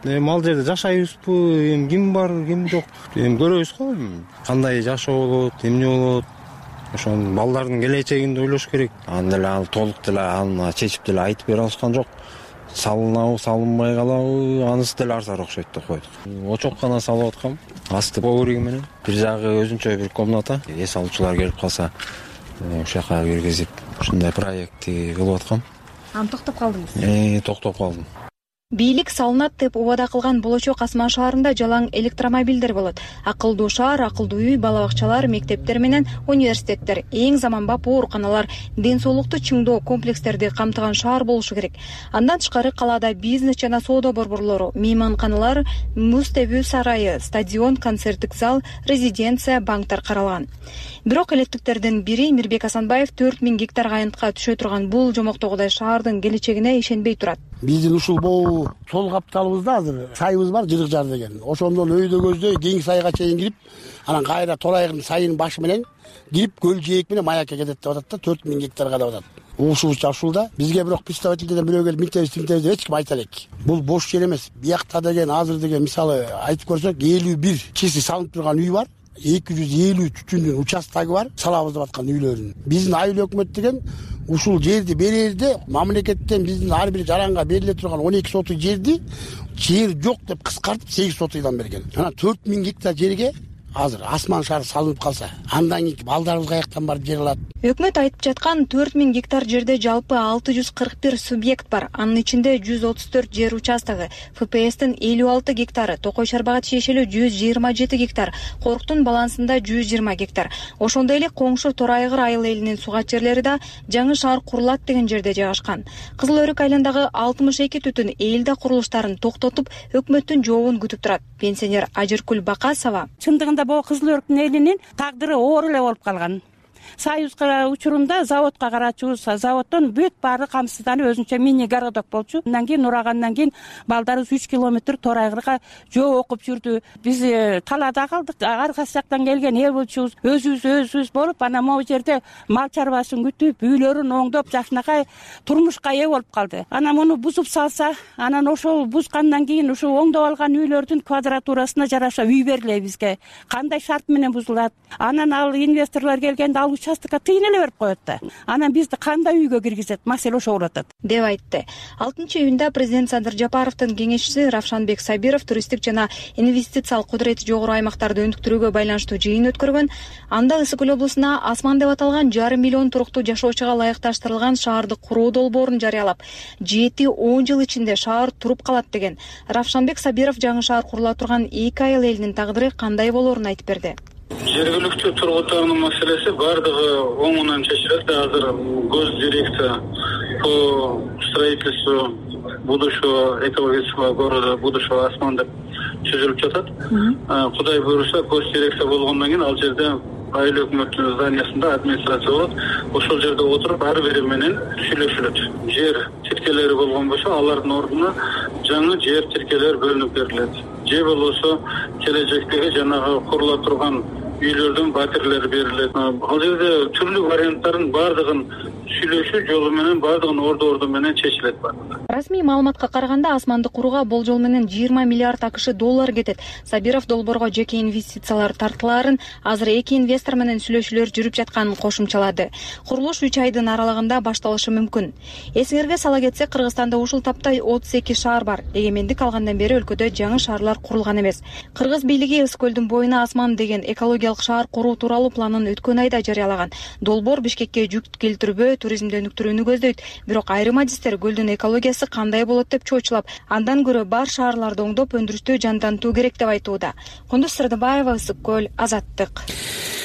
эми ал жерде жашайбызбы, эми ким бар, ким жок, эми көрөбүз го, кандай жашоо болот, эмне болот. Ошонун балдардын келечегин да ойлош керек. Анда эле ал толук деле аны чечип деле айтып бере алышкан жок. Салынабы, салынбай калабы, анысы деле арзаныраак окшойт деп койдук. Очок гана салып аткам, асты ковриги менен. Бир жагы өзүнчө бир комната, эс алуучулар келип калса, ошол жака киргизип, ушундай проектти кылып аткам. Аны токтоп калдыңыз? Э, токтоп калдым. Бийлик салынат деп убада кылган болочок Асман шаарында жалаң электромобилдер болот. Акылдуу шаар, акылдуу үй, бала бакчалар, мектептер менен университеттер, эң заманбап ооруканалар, ден соолукту чыңдоо комплекстерди камтыган шаар болушу керек. Андан тышкары калаада бизнес жана соода борборлору, мейманканалар, муз тебүү сарайы, стадион, концерттик зал, резиденция, банктар каралган. Бирок электиктердин бири Мирбек Асанбаев төрт миң гектар айынтка түшө турган бул жомоктогудай шаардын келечегине ишенбей турат. Биздин ушул могу сол капталыбызда азыр сайыбыз бар, Жырык жар деген. Ошондон өйдө көздөй кең сайга чейин кирип, анан кайра Торайгын сайынын башы менен кирип көл жээк менен маякка кетет деп атат да, төрт миң гектарга деп атат. Ушубузча ушулда бизге бирок представительдерден бирөө келип мынтебиз тинтебиз деп эч ким айта элек. Бул бош жер эмес. Биякта деген азыр деген мисалы айтып көрсөк элүү бир чиси салынып турган үй бар. эки жүз элүү түтүндүн участогу бар, салабыз деп аткан үйлөрүн. Биздин айыл өкмөт деген ушул жерди берерде мамлекеттен биздин ар бир жаранга бериле турган он эки сотый жерди жер жок деп кыскартып сегиз сотыйдан берген. Анан төрт миң гектар жерге азыр Асман шаары салынып калса, андан кийин балдарыбыз каяктан барып жер алат? Өкмөт айтып жаткан төрт миң гектар жерде жалпы алты жүз кырк бир субъект бар. Анын ичинде жүз отуз төрт жер участогу, эф пэ эстин элүү алты гектары, Токой Шарбага тиешелүү жүз жыйырма жети гектар, Коруктун балансында жүз жыйырма гектар. Ошондой эле коңшу Торайгыр айыл элинин сугат жерлери да жаңы шаар курулат деген жерде жайгашкан. Кызыл Өрүк айылындагы алтымыш эки түтүн элде курулуштарын токтотуп, өкмөттүн жообун күтүп турат. Пенсионер Ажыркүл Бакасова: Чындыгында бул Кызыл Өрүктүн элинин тагдыры оор эле болуп калган. Союз учурунда заводко карачубуз, заводдон бүт баары камсызданып өзүнчө мини городок болчу. Андан кийин урагандан кийин балдарыбыз үч километр Торайгырга жөө окуп жүрдү. Биз талаада калдык. Ар кайсы жактан келген эл болчубуз, өзүбүз өзүбүз болуп, анан могу жерде мал чарбасын күтүп, үйлөрүн оңдоп, жакшынакай турмушка ээ болуп калды. Анан муну бузуп салса, анан ошол бузгандан кийин ушул оңдоп алган үйлөрдүн квадратурасына жараша үй бериле бизге. Кандай шарт менен бузулат? Анан ал инвесторлор келгенде ал участокко тыйын эле берип коет да. Анан бизди кандай үйгө киргизет? Маселе ошо болуп атат деп айтты. алтынчы июнда президент Садыр Жапаровдун кеңешчиси Равшанбек Сабиров туристтик жана инвестициялык кудурети жогору аймактарды өнүктүрүүгө байланыштуу жыйын өткөргөн. Анда Ысык көл облусуна Асман деп аталган жарым миллион туруктуу жашоочуга ылайыкташтырылган шаарды куруу долбоорун жарыялап, жети он жыл ичинде шаар туруп калат деген. Равшанбек Сабиров жаңы шаар курула турган эки айыл элинин тагдыры кандай болоорун айтып берди. Жергиликтүү тургундардын маселеси бардыгы оңунан чечилет. Азыр гос дирекция по строительству будущего экологического города, будущего Асман деп түзүлүп жатат. Кудай буйруса, гос дирекция болгондон кийин ал жерде айыл өкмөттүн зданиясында администрация болот. Ошол жерде отуруп ар бири менен сүйлөшүлөт. Жер тиркелери болгон болсо, алардын ордуна жаңы жер тиркелер бөлүнүп берилет. Же болбосо келечектеги жанагы курула турган үйлөрдүн батирлери берилет. Ал жерде түрлүү варианттардын бардыгын сүйлөшүү жолу менен, бардыгын орду орду менен чечилет. Расмий маалыматка караганда асманды курууга болжол менен жыйырма миллиард акш доллар кетет. Сабиров долбоорго жеке инвестициялар тартылаарын, азыр эки инвестор менен сүйлөшүүлөр жүрүп жатканын кошумчалады. Курулуш үч айдын аралыгында башталышы мүмкүн. Эсиңерге сала кетсек, Кыргызстанда ушул тапта отуз эки шаар бар. Эгемендик алгандан бери өлкөдө жаңы шаарлар курулган эмес. Кыргыз бийлиги Ысык көлдүн боюна асман деген экологиялык шаар куруу тууралуу планын өткөн айда жарыялаган. Долбоор Бишкекке жүк келтирбөө, туризмди өнүктүрүүнү көздөйт. Бирок айрым адистер көлдүн экологиясы кандай болот деп чоочулап, андан көрө бар шаарларды оңдоп өндүрүштү жандантуу керек деп айтууда. Кундуз Сырдыбаева, Ысык көл, Азаттык.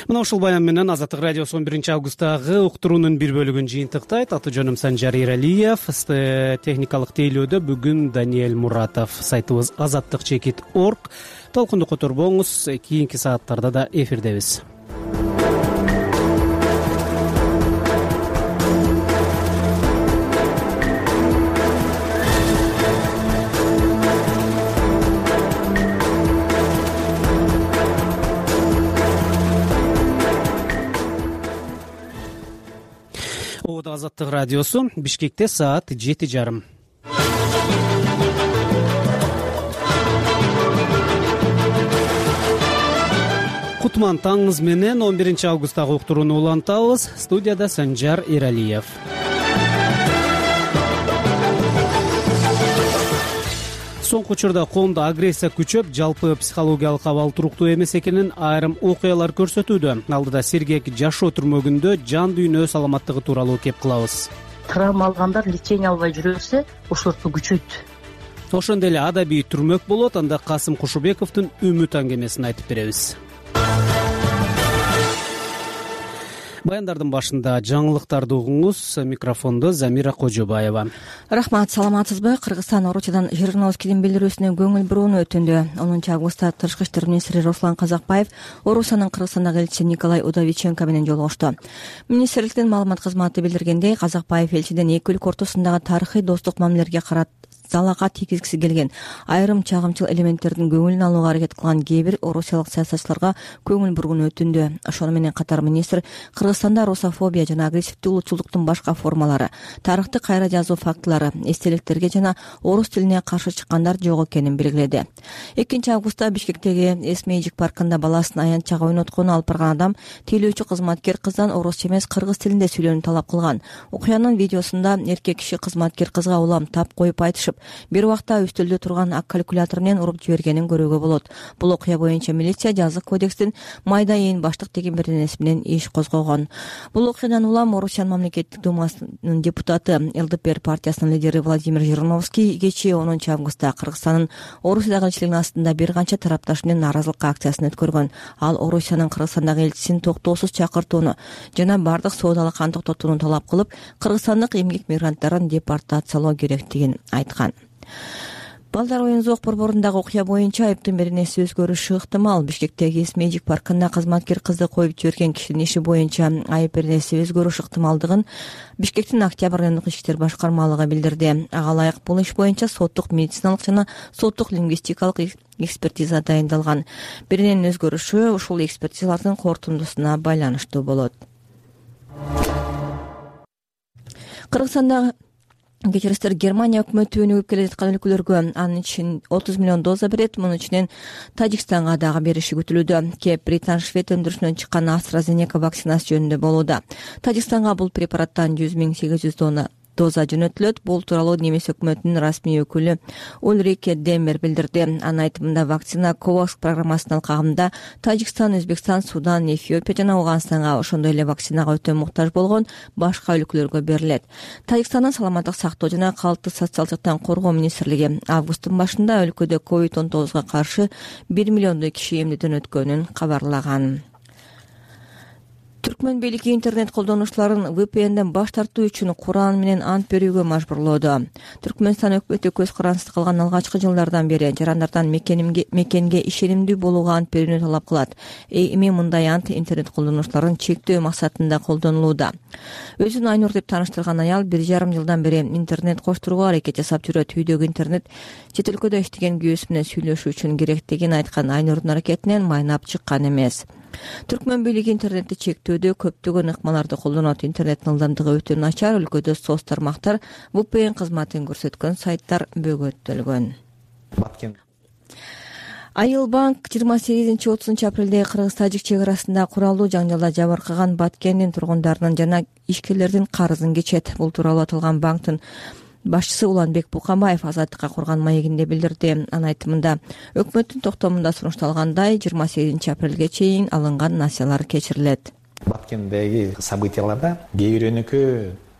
Мына ушул баян менен Азаттык радиосу он биринчи августтагы уктуруунун бир бөлүгүн жыйынтыктайт. Аты жөнүм Санжар Иралиев, техникалык тейлөөдө бүгүн Даниэль Муратов. Сайтыбыз азаттык чекит орг. Толкунду которбоңуз, кийинки сааттарда да эфирдебиз. Азаттык радиосу, Бишкекте саат жети жарым. Кутман таңыңыз менен он биринчи августтагы уктурууну улантабыз. Студияда Санжар Иралиев. Соңку учурда коомдо агрессия күчөп, жалпы психологиялык абал туруктуу эмес экенин айрым окуялар көрсөтүүдө. Алдыда сергек жашоо түрмөгүндө жан дүйнө саламаттыгы тууралуу кеп кылабыз. Травма алгандар лечение албай жүрө берсе, ошорту күчөйт. Ошондой эле адабий түрмөк болот. Анда Касым Кушубековдун үмүт аңгемесин айтып беребиз. Баяндардын башында жаңылыктарды угуңуз. Микрофондо Замира Кожобаева. Рахмат, саламатсызбы? Кыргызстан Орусиядан Жириновскийдин билдирүүсүнө көңүл бурууну өтүндү. онунчу августта Тышкы иштер министри Руслан Казакбаев Орусиянын Кыргызстандагы элчиси Николай Удовиченко менен жолугушту. Министрликтин маалымат кызматы билдиргендей, Казакбаев элчиден эки өлкө ортосундагы тарыхый достук мамилелерге карат залага тийгизгиси келген айрым чагымчыл элементтердин көңүлүн алууга аракет кылган кээ бир орусиялык саясатчыларга көңүл бурууну өтүндү. Ошону менен катар министр Кыргызстанда русофобия жана агрессивдүү улутчулдуктун башка формалары, тарыхты кайра жазуу фактылары, эстеликтерге жана орус тилине каршы чыккандар жок экенин белгиледи. экинчи августта Бишкектеги Эсмейжик паркында баласын аянтчага ойноткону алып барган адам тейлөөчү кызматкер кыздан орусча эмес кыргыз тилинде сүйлөөнү талап кылган. Окуянын видеосунда эркек киши кызматкер кызга улам тап коюп айтышып, бир убакта үстөлдө турган ак калькулятор менен уруп жибергенин көрүүгө болот. Бул окуя боюнча милиция жазык кодекстин майда ээн баштык деген беренеси менен иш козгогон. Бул окуядан улам Орусиянын мамлекеттик думасынын депутаты, эл дэ пэ эр партиясынын лидери Владимир Жириновский кечээ онунчу августта Кыргызстандын Орусиядагы элчилигинин астында бир канча тарапташ менен нааразылык акциясын өткөргөн. Ал Орусиянын Кыргызстандагы элчисин токтоосуз чакыртууну жана бардык соодалык кан токтотууну талап кылып, кыргызстандык эмгек мигранттарын депортациялоо керектигин айткан. Балдар оюн зоок борборундагы окуя боюнча айыптын беренеси өзгөрүшү ыктымал. Бишкектеги Эсмейжик паркында кызматкер кызды коюп жиберген кишинин иши боюнча айып беренеси өзгөрүш ыктымалдыгын Бишкектин Октябрь райондук ички иштер башкармалыгы билдирди. Ага ылайык бул иш боюнча соттук медициналык жана соттук лингвистикалык экспертиза дайындалган. Берененин өзгөрүшү ушул экспертизалардын корутундусуна байланыштуу болот. Кыргызстанда кечиристер Германия өкмөтү өнүгүп келе жаткан өлкөлөргө анын ичинен отуз миллион доза берет. Мунун ичинен Тажикстанга дагы бериши күтүлүүдө. Кеп Британ Швед өндүрүшүнөн чыккан AstraZeneca вакцинасы жөнүндө болууда. Тажикстанга бул препараттан жүз миң сегиз жүз дона доза жөнөтүлөт. Бул тууралуу немис өкмөтүнүн расмий өкүлү Ульрике Демер билдирди. Анын айтымында вакцина COVAX программасынын алкагында Тажикстан, Өзбекстан, Судан, Эфиопия жана Ауганстанга, ошондой эле вакцинага өтө муктаж болгон башка өлкөлөргө берилет. Тажикстандын саламаттык сактоо жана калктык социалдык жактан коргоо министрлиги августтун башында өлкөдө ковид он тогузга каршы бир миллиондой киши эмдүүдөн өткөнүн кабарлаган. Түркмөн бийлиги интернет колдонуучуларын вэ пэ энден баш тартуу үчүн Куран менен ант берүүгө мажбурлоодо. Түркмөнстан өкмөтү көз карансыз калган алгачкы жылдардан бери жарандардан мекенге ишенимдүү болууга ант берүүнү талап кылат. Эми мындай ант интернет колдонуучуларын чектөө максатында колдонулууда. Өзүн Айнур деп тааныштырган аял бир жарым жылдан бери интернет коштурууга аракет жасап жүрөт. Үйдөгү интернет чет өлкөдө иштеген күйөөсү менен сүйлөшүү үчүн керектигин айткан Айнурдун аракетинен майнап чыккан эмес. Түркмөн бийлиги интернетти чектөөдө көптөгөн ыкмаларды колдонот. Интернеттин ылдамдыгы өтө начар, өлкөдө соц тармактар ви пи эн кызматын көрсөткөн сайттар бөгөттөлгөн. Айыл банк жыйырма сегизинчи отузунчу апрелде кыргыз-тажик чек арасында куралдуу жаңжалда жабыркаган Баткендин тургундарынын жана ишкерлердин карызын кечет. Бул тууралуу аталган банктын башчысы Уланбек Букамбаев Азаттыкка курган маегинде билдирди. Анын айтымында өкмөттүн токтомунда сунушталгандай жыйырма сегизинчи апрелге чейин алынган насыялар кечирилет. Баткендеги событияларда кээ бирөөнүкү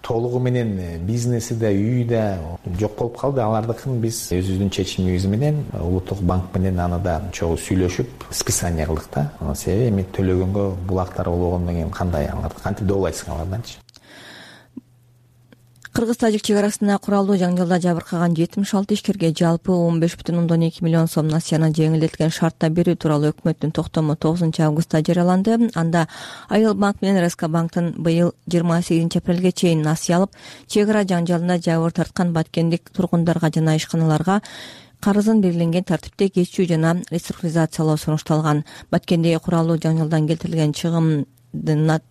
толугу менен бизнеси да, үйү да жок болуп калды. Алардыкын биз өзүбүздүн чечимибиз менен Улуттук банк менен аны да чогуу сүйлөшүп списание кылдык да. Себеби эми төлөгөнгө булактар болгондон кийин кандай аларды кантип добулайсың аларданчы? Кыргыз-тажик чек арасында куралдуу жаңжалда жабыркаган жетимиш алты ишкерге жалпы он беш бүтүн ондон эки миллион сом насыяны жеңилдетилген шартта берүү тууралуу өкмөттүн токтому тогузунчу августта жарыяланды. Анда Айыл банк менен эр эс ка банктын быйыл жыйырма сегизинчи апрелге чейин насыя алып, чек ара жаңжалында жабыр тарткан баткендик тургундарга жана ишканаларга карызын белгиленген тартипте кечүү жана реструктуризациялоо сунушталган. Баткендеги куралдуу жаңжалдан келтирилген чыгым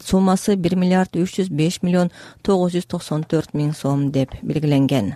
суммасы бир миллиард үч жүз беш миллион тогуз жүз токсон төрт миң сом деп белгиленген.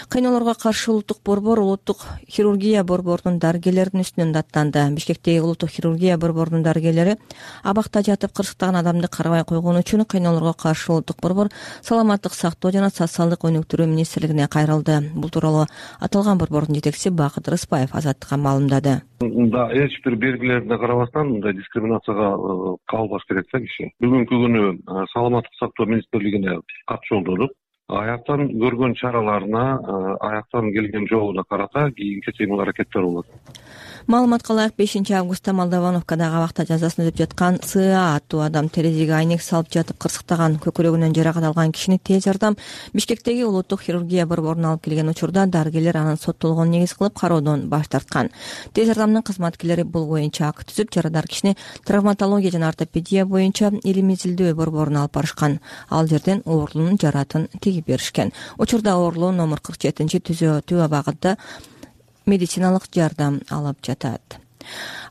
Кыйноолорго каршы улуттук борбор улуттук хирургия борборунун дарыгерлеринин үстүнөн даттанды. Бишкектеги улуттук хирургия борборунун дарыгерлери абакта жатып кырсыктаган адамды карабай койгону үчүн кыйноолорго каршы улуттук борбор саламаттык сактоо жана социалдык өнүктүрүү министрлигине кайрылды. Бул тууралуу аталган борбордун жетекчиси Бакыт Рыспаев Азаттыкка маалымдады. Да, эч бир белгилерине карабастан мындай дискриминацияга кабылбаш керек да киши. Бүгүнкү күнү саламаттык сактоо министрлигине кат жолдодук. Аяктан көргөн чараларына, аяктан келген жообуна карата кийинки кыймыл аракеттер болот. Маалыматка ылайык бешинчи августта Молдовановкадагы абакта жазасын өтүп жаткан С А аттуу адам терезеге айнек салып жатып кырсыктаган, көкүрөгүнөн жаракат алган кишини тез жардам Бишкектеги улуттук хирургия борборуна алып келген учурда дарыгерлер анын соттолгонун негиз кылып кароодон баш тарткан. Тез жардамдын кызматкерлери бул боюнча акт түзүп, жарадар кишини травматология жана ортопедия боюнча илимий изилдөө борборуна алып барышкан. Ал жерден оорулуунун жаратын тигип беришкен. Учурда оорулуу номер кырк жетинчи түзөтүү абагында медициналык жардам алып жатат.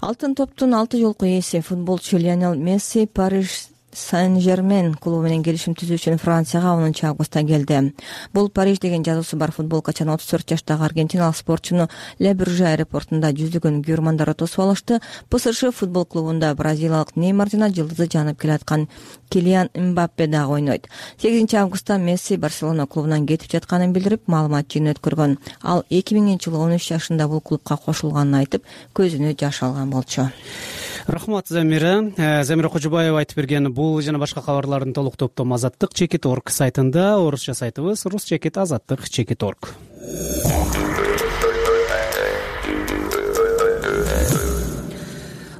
Алтын топтун алты жолку ээси футболчу Лионел Месси Париж Сен-Жермен клубу менен келишим түзүү үчүн Францияга онунчу августта келди. Бул Париж деген жазуусу бар футболкачаны отуз төрт жаштагы аргентиналык спортчуну Ле Бурже аэропортунда жүздөгөн көрөрмандар тосуп алышты. Пэ Эс Ж футбол клубунда бразилиялык Неймар жана жылдызы жанып келаткан Килиан Мбаппе дагы ойнойт. сегизинчи августта Месси Барселона клубунан кетип жатканын билдирип, маалымат жыйын өткөргөн. Ал эки миңинчи жылы он үч жашында бул клубка кошулганын айтып, көзүнө жаш алган болчу. Рахмат Замира. Замира Кожобаева айтып берген бул жана башка кабарлардын толук топтому Азаттык чекит точка орг сайтында, орусча сайтыбыз рус чекит азаттык чекит точка орг.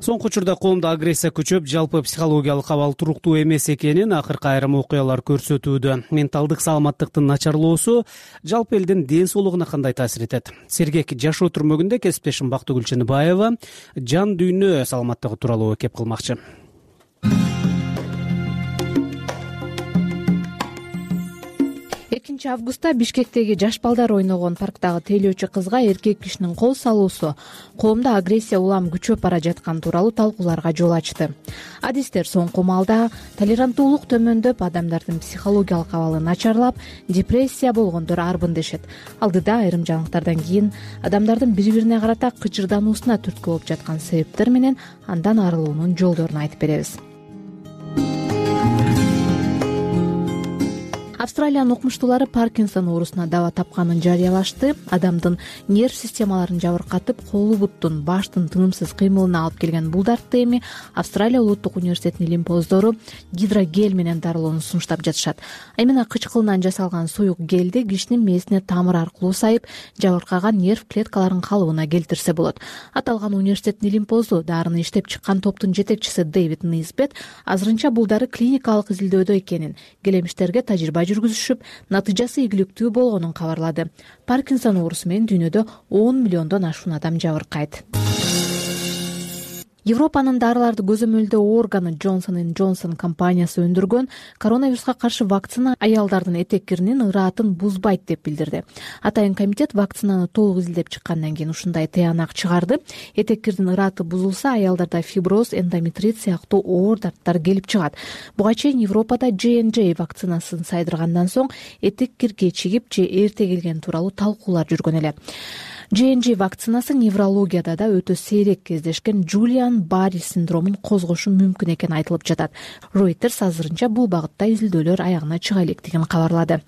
Соңку учурда коомдо агрессия күчөп, жалпы психологиялык абал туруктуу эмес экенин акыркы айрым окуялар көрсөтүүдө. Менталдык саламаттыктын начарлоосу жалпы элдин ден соолугуна кандай таасир этет? Сергек жашоо түрмөгүндө кесиптешим Бактыгүл Чыныбаева жан дүйнө саламаттыгы тууралуу кеп кылмакчы. экинчи августта Бишкектеги жаш балдар ойногон парктагы тейлөөчү кызга эркек кишинин кол салуусу коомдо агрессия улам күчөп бара жатканы тууралуу талкууларга жол ачты. Адистер соңку маалда толеранттуулук төмөндөп, адамдардын психологиялык абалы начарлап, депрессия болгондор арбын дешет. Алдыда айрым жаңылыктардан кийин адамдардын бири-бирине карата кычырдануусуна түрткү болуп жаткан себептер менен андан арылуунун жолдорун айтып беребиз. Австралиянын окумуштуулары Паркинсон оорусуна даба тапканын жарыялашты. Адамдын нерв системаларын жабыркатып, колу буттун, баштын тынымсыз кыймылына алып келген бул дартты эми Австралия улуттук университетинин илимпоздору гидрогель менен дарылоону сунуштап жатышат. Эмне кычкылынан жасалган суюк гелди кишинин мээсине тамыр аркылуу сайып, жабыркаган нерв клеткаларын калыбына келтирсе болот. Аталган университеттин илимпоздо дарыны иштеп чыккан топтун жетекчиси Дэвид Нейсбет азырынча бул дары клиникалык изилдөөдө экенин, келемиштерге тажрыйба жүргүзүшүп, натыйжасы ийгиликтүү болгонун кабарлады. Паркинсон оорусу менен дүйнөдө он миллиондон ашуун адам жабыркайт. Европанын дарыларды көзөмөлдөө органы Johnson энд Johnson компаниясы өндүргөн коронавируска каршы вакцина аялдардын этек киринин ыраатын бузбайт деп билдирди. Атайын комитет вакцинаны толук изилдеп чыккандан кийин ушундай тыянак чыгарды. Этек кирдин ырааты бузулса, аялдарда фиброз, эндометрит сыяктуу оор дарттар келип чыгат. Буга чейин Европада J and J вакцинасын сайдыргандан соң этек кирге чигип же эрте келген тууралуу талкуулар жүргөн эле. J and J вакцинасы неврологияда да өтө сейрек кездешкен Жулиан-Барри синдромун козгошу мүмкүн экени айтылып жатат. Reuters азырынча бул багытта изилдөөлөр аягына чыга электигин кабарлады.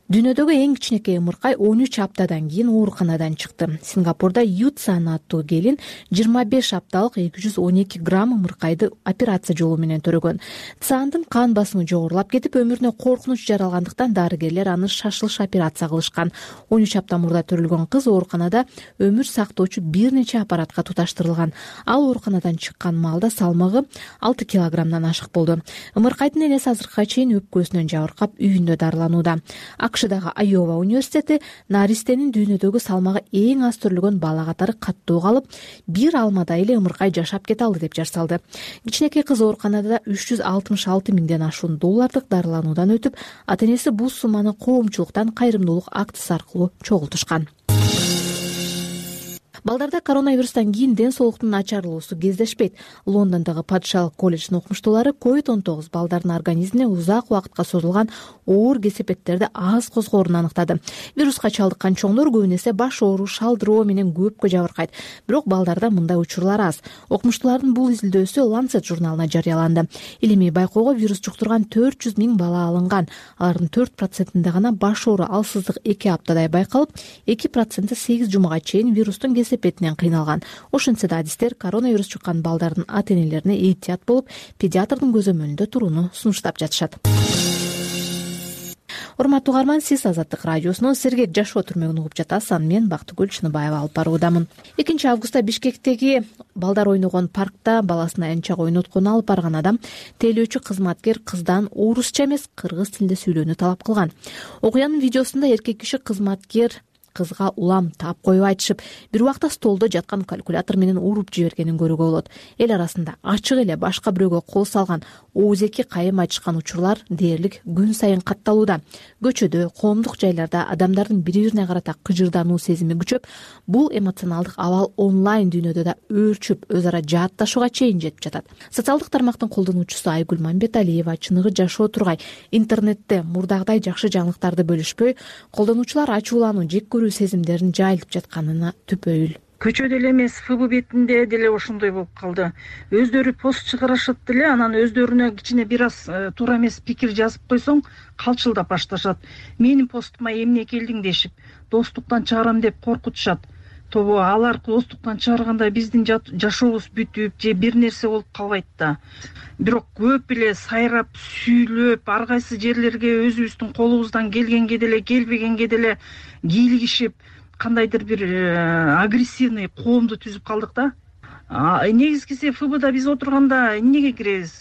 Дүйнөдөгү эң кичинекей ымыркай он үч аптадан кийин ооруканадан чыкты. Сингапурда Ютсан аттуу келин жыйырма беш апталык эки жүз он эки грамм ымыркайды операция жолу менен төрөгөн. Цандын кан басымы жогорулап кетип, өмүрүнө коркунуч жаралгандыктан дарыгерлер аны шашылыш операция кылышкан. он үч апта мурда төрөлгөн кыз ооруканада өмүр сактоочу бир нече аппаратка туташтырылган. Ал ооруканадан чыккан маалда салмагы алты килограммдан ашык болду. Ымыркайдын энеси азыркыга чейин өпкөсүнөн жабыркап үйүндө дарыланууда. акшдагы Айова университети наристенин дүйнөдөгү салмагы эң аз төрөлгөн бала катары каттуу калып, бир алмадай эле ымыркай жашап кете алды деп жар салды. Кичинекей кыз ооруканада үч жүз алтымыш алты миңден ашуун доллардык дарылануудан өтүп, ата-энеси бул сумманы коомчулуктан кайрымдуулук актысы аркылуу чогултушкан. Балдарда коронавирустан кийин ден соолуктун начарлоосу кездешпейт. Лондондогу Падышалык колледждин окумуштуулары ковид он тогуз балдардын организмине узак убакытка созулган оор кесепеттерди аз козгоорун аныктады. Вируска чалдыккан чоңдор көбүн эсе баш ооруу, шалдыроо менен көпкө жабыркайт. Бирок балдарда мындай учурлар аз. Окумуштуулардын бул изилдөөсү Lancet журналына жарыяланды. Илимий байкоого вирус жуктурган төрт жүз миң бала алынган. Алардын төрт процентинде гана баш оору, алсыздык эки аптадай байкалып, эки проценти сегиз жумага чейин вирустун кесепетинен кыйналган. Ошентсе да адистер коронавирус жуккан балдардын ата-энелерине эhtiyat болуп, педиатрдын көзөмөлүндө турууну сунуштап жатышат. Урматтуу угарман, сиз Азаттык радиосунун сергек жашоо түрмөгүн угуп жатасыз. Мен Бактыгүл Чыныбаева алып баруудамын. экинчи августта Бишкектеги балдар ойногон паркта баласына энчак ойноткон алып барган адам тейлөөчү кызматкер кыздан орусча эмес, кыргыз тилинде сүйлөөнү талап кылган. Окуянын видеосунда эркек киши кызматкер кызга улам таап коюп айтышып, бир убакта столдо жаткан калькулятор менен уруп жибергенин көрүүгө болот. Эл арасында ачык эле башка бирөөгө кол салган, оозеки кайым айтышкан учурлар дээрлик күн сайын катталууда. Көчөдө, коомдук жайларда адамдардын бири-бирине карата кыжырдануу сезими күчөп, бул эмоционалдык абал онлайн дүйнөдө да өөрчүп, өз ара жаатташууга чейин жетип жатат. Социалдык тармактын колдонуучусу Айгүл Мамбеталиева чыныгы жашоо тургай интернетте мурдагыдай жакшы жаңылыктарды бөлүшпөй, колдонуучулар ачуулануу, жек көрүү сезимдерин жайылтып жатканына түпөйүл. Көчөдө эле эмес, ФБ бетинде деле ошондой болуп калды. Өздөрү пост чыгарышат деле, анан өздөрүнө кичине бир аз туура эмес пикир жазып койсоң, калчылдап башташат. Менин постума эмне келдиң дешип, достуктан чыгарам деп коркутушат. Тобо алар достуктан чыгарганда биздин жашообуз бүтүп, же бир нерсе болуп калбайт да. Бирок көп эле сайрап, сүйлөп, ар кайсы жерлерге өзүбүздүн колубуздан келгенге деле, келбегенге деле кийлигишип, кандайдыр бир агрессивный коомду түзүп калдык да. Негизгиси ФБда биз отурганда эмнеге киребиз?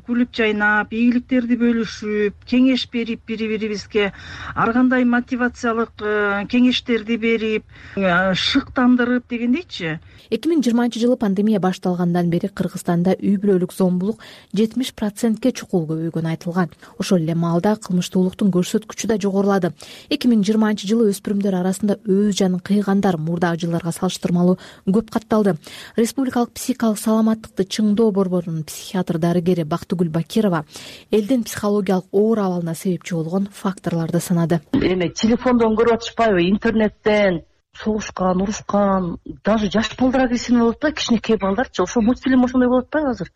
Күлүп жайнап, ийгиликтерди бөлүшүп, кеңеш берип бири-бирибизге, ар кандай мотивациялык кеңештерди берип, шыктандырып дегендейчи. эки миң жыйырманчы жылы пандемия башталгандан бери Кыргызстанда үй бүлөлүк зомбулук жетимиш процентке чукул көбөйгөнү айтылган. Ошол эле маалда кылмыштуулуктун көрсөткүчү да жогорулады. эки миң жыйырманчы жылы өспүрүмдөр арасында өз жанын кыйгандар мурдагы жылдарга салыштырмалуу көп катталды. Республикалык психикалык саламаттыкты чыңдоо борборунун психиатр дарыгери Бактыгүл Бакирова элдин психологиялык оор абалына себепчи болгон факторлорду санады. Эми телефондон көрүп атышпайбы, интернеттен согушкан, урушкан, даже жаш балдар агрессивный болуп атпайбы, кичинекей балдарчы. Ошо мультфильм ошондой болуп атпайбы азыр?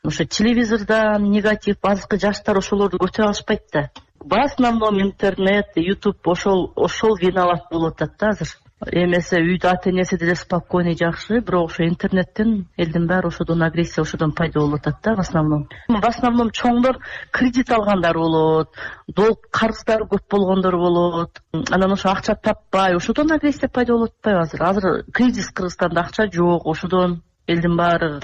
Ошо телевизордон негатив, азыркы жаштар ошолорду көтөрө алышпайт да. В основном интернет, YouTube ошол ошол виноват болуп атат да азыр. Эмесе үйдө ата-энеси деле спокойный жакшы, бирок ошо интернеттен элдин баары ошодон агрессия, ошодон пайда болуп атат да в основном. В основном чоңдор кредит алгандар болот, долг карыздар көп болгондор болот. Анан ошо акча таппай, ошодон агрессия пайда болуп атпайбы азыр? Азыр кризис Кыргызстанда, акча жок, ошодон элдин баары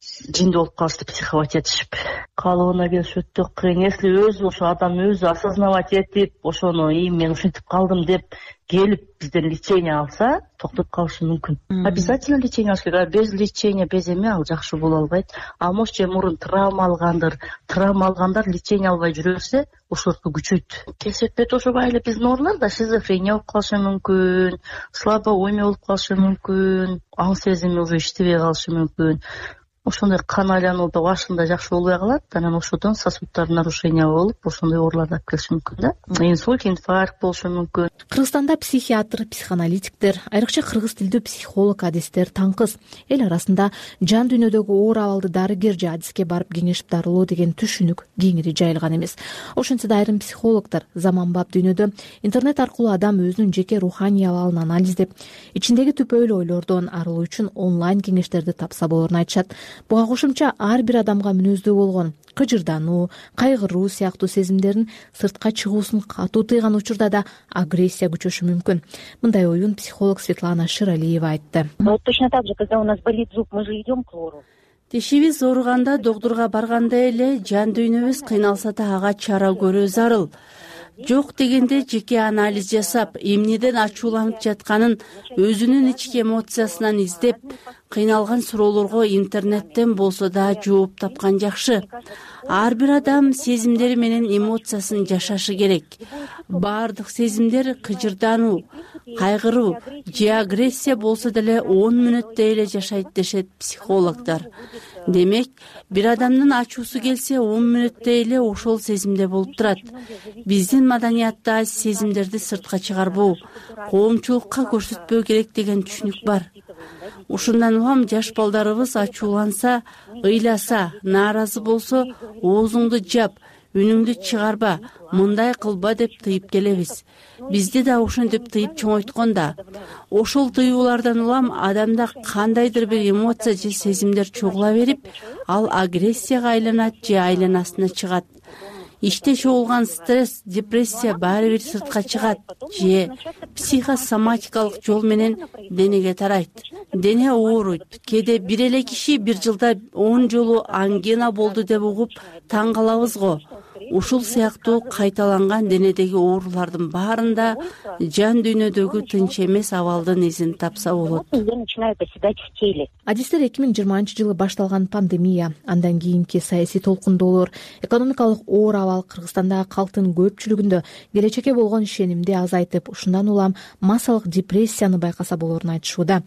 жинди болуп калышты, психовать этишип калыбына келиш өтө кыйын. Если өзү ошо адам өзү осознавать этип, ошону и мен ушинтип калдым деп келип бизден лечение алса, токтоп калышы мүмкүн. Обязательно лечение алыш керек. Без лечения, без эме ал жакшы боло албайт. А может же мурун травма алгандыр. Травма алгандар лечение албай жүрө берсе, ошолорду күчөйт. Кесепет ошого эле биздин оорулар да шизофрения болуп калышы мүмкүн, слабоумие болуп калышы мүмкүн, аң сезими уже иштебей калышы мүмкүн. Ошондой кан айлануу да башында жакшы болбой калат, анан ошодон сосудтар нарушение болуп, ошондой оорулар да келиши мүмкүн да. Инсульт, инфаркт болушу мүмкүн. Кыргызстанда психиатр, психоаналитиктер, айрыкча кыргыз тилдүү психолог, адистер таңкыз. Эл арасында жан дүйнөдөгү оор абалды дарыгер же адиске барып кеңешип дарылоо деген түшүнүк кеңири жайылган эмес. Ошентсе да айрым психологдор заманбап дүйнөдө интернет аркылуу адам өзүнүн жеке руханий абалын анализдеп, ичиндеги түпөйлүү ойлордон арылуу үчүн онлайн кеңештерди тапса болорун айтышат. Буга кошумча ар бир адамга мүнөздүү болгон кыжырдануу, кайгыруу сыяктуу сезимдерин сыртка чыгуусун катуу тыйган учурда да агрессия күчөшү мүмкүн. Мындай оюн психолог Светлана Ширалиева айтты. Вот точно так же, когда у нас болит зуб, мы же идем к лору. Тишибиз ооруганда доктурга барганда эле жан дүйнөбүз кыйналса да ага чара көрүү зарыл. Жок дегенде жеке анализ жасап, эмнеден ачууланып жатканын өзүнүн ички эмоциясынан издеп, кыйналган суроолорго интернеттен болсо да жооп тапкан жакшы. Ар бир адам сезимдери менен эмоциясын жашашы керек. Баардык сезимдер кыжырдануу, кайгыруу же агрессия болсо деле он мүнөттө эле жашайт дешет психологдор. Демек, бир адамдын ачуусу келсе он мүнөттө эле ошол сезимде болуп турат. Биздин маданиятта сезимдерди сыртка чыгарбоо, коомчулукка көрсөтпөө керек деген түшүнүк бар. Ушундан улам жаш балдарыбыз ачууланса, ыйласа, нааразы болсо, оозуңду жап, үнүңдү чыгарба, мындай кылба деп тыйып келебиз. Бизди да ошентип тыйып чоңойткон да. Ошол тыюулардан улам адамда кандайдыр бир эмоция же сезимдер чогула берип, ал агрессияга айланат же айланасына чыгат. Иште чогулган стресс, депрессия баары бир сыртка чыгат же психосоматикалык жол менен денеге тарайт. Дене ооруйт. Кээде бир эле киши бир жылда он жолу ангина болду деп угуп таң калабыз го. Ушул сыяктуу кайталанган денедеги оорулардын баарында жан дүйнөдөгү тынч эмес абалдын изин тапса болот. Адистер эки миң жыйырманчы жылы башталган пандемия, андан кийинки саясий толкундоолор, экономикалык оор абал Кыргызстандагы калктын көпчүлүгүндө келечекке болгон ишенимди азайтып, ушундан улам массалык депрессияны байкаса болорун айтышууда.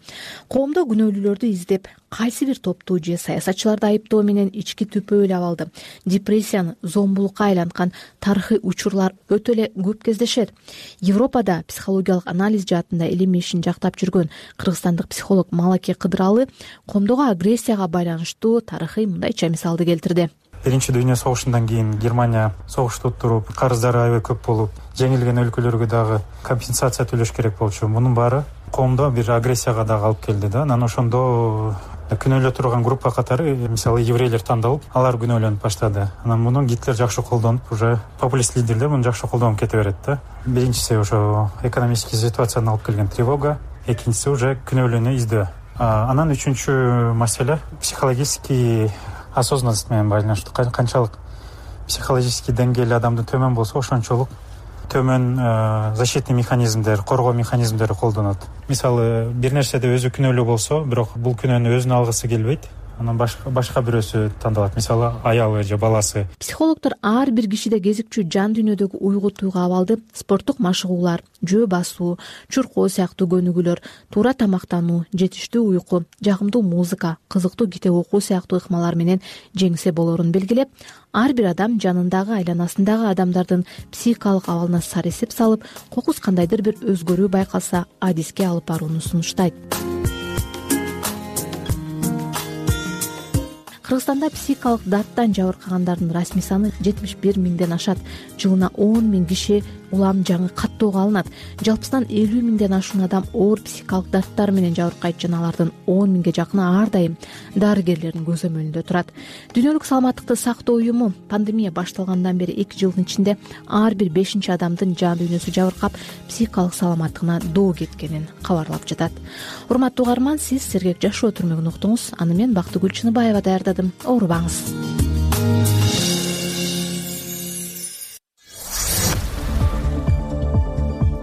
Коомдо күнөөлүүлөрдү издеп, кайсы бир топту же саясатчыларды айыптоо менен ички түпөйлүү абалды, депрессияны зомбулукка айланткан тарыхый учурлар өтө эле көп кездешет. Европада психологиялык анализ жаатында илим ишин жактап жүргөн кыргызстандык психолог Малаке Кыдыралы коомдогу агрессияга байланыштуу тарыхый мындайча мисалды келтирди. Биринчи дүйнө согушундан кийин Германия согушту туруп, карыздары аябай көп болуп, жеңилген өлкөлөргө дагы компенсация төлөш керек болчу. Мунун баары коомдо бир агрессияга дагы алып келди да. Анан ошондо күнөөлө турган группа катары, мисалы, еврейлер тандалып, алар күнөөлөнүп баштады. Анан муну Гитлер жакшы колдонуп, уже популист лидерлер муну жакшы колдонуп кете берет да. Биринчиси ошо экономический ситуацияны алып келген тревога, экинчиси уже күнөөлүүнү издөө. Анан үчүнчү маселе психологический осознанность менен байланыштуу. Канчалык психологический деңгээли адамдын төмөн болсо, ошончолук төмөн защитный механизмдер, коргоо механизмдери колдонот. Мисалы, бир нерседе өзү күнөөлүү болсо, бирок бул күнөөнү өзүнө алгысы келбейт, анан башка башка бирөөсү тандалат, мисалы аялы же баласы. Психологдор ар бир кишиде кезикчү жан дүйнөдөгү уйгу туйгу абалды спорттук машыгуулар, жөө басуу, чуркоо сыяктуу көнүгүүлөр, туура тамактануу, жетиштүү уйку, жагымдуу музыка, кызыктуу китеп окуу сыяктуу ыкмалар менен жеңсе болорун белгилеп, ар бир адам жанындагы айланасындагы адамдардын психикалык абалына сар эсеп салып, кокус кандайдыр бир өзгөрүү байкалса, адиске алып барууну сунуштайт. Кыргызстанда психикалык дарттан жабыркагандардын расмий саны жетимиш бир миңден ашат. Жылына он миң киши улам жаңы каттоого алынат. Жалпысынан элүү миңден ашуун адам оор психикалык даттар менен жабыркайт жана алардын он миңге жакыны ар дайым дарыгерлердин көзөмөлүндө турат. Дүйнөлүк саламаттыкты сактоо уюму пандемия башталгандан бери эки жылдын ичинде ар бир бешинчи адамдын жан дүйнөсү жабыркап, психикалык саламаттыгына доо кеткенин кабарлап жатат. Урматтуу угарман, сиз Сергек жашоо түрмөгүн уктуңуз. Аны мен Бактыгүл Чыныбаева даярдадым. Оорубаңыз.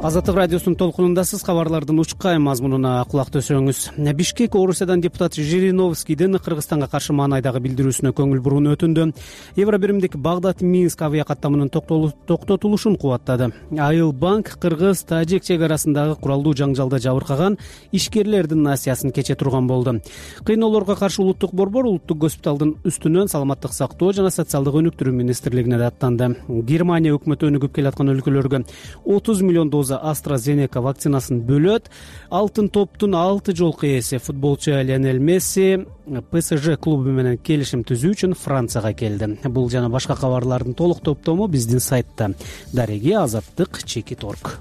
Азаттык радиосунун толкунундасыз. Кабарлардын учкай мазмунуна кулак төсөңүз. Бишкек Орусиядан депутат Жириновскийдин Кыргызстанга каршы маанайдагы билдирүүсүнө көңүл бурууну өтүндү. Евробиримдик Багдад-Минск авиа каттамынын токтотулушун кубаттады. Айыл банк Кыргыз Тажик чек арасындагы куралдуу жаңжалда жабыркаган ишкерлердин насыясын кече турган болду. Кыйноолорго каршы улуттук борбор улуттук госпиталдын үстүнөн саламаттык сактоо жана социалдык өнүктүрүү министрлигине аттанды. Германия өкмөтү өнүгүп келаткан өлкөлөргө отуз миллион доза AstraZeneca вакцинасын бөлөт. Алтын топтун алты жолку ээси футболчу Лионель Месси ПСЖ клубу менен келишим түзүү үчүн Францияга келди. Бул жана башка кабарлардын толук топтому биздин сайтта. Дареги Азаттык чекит точка орг.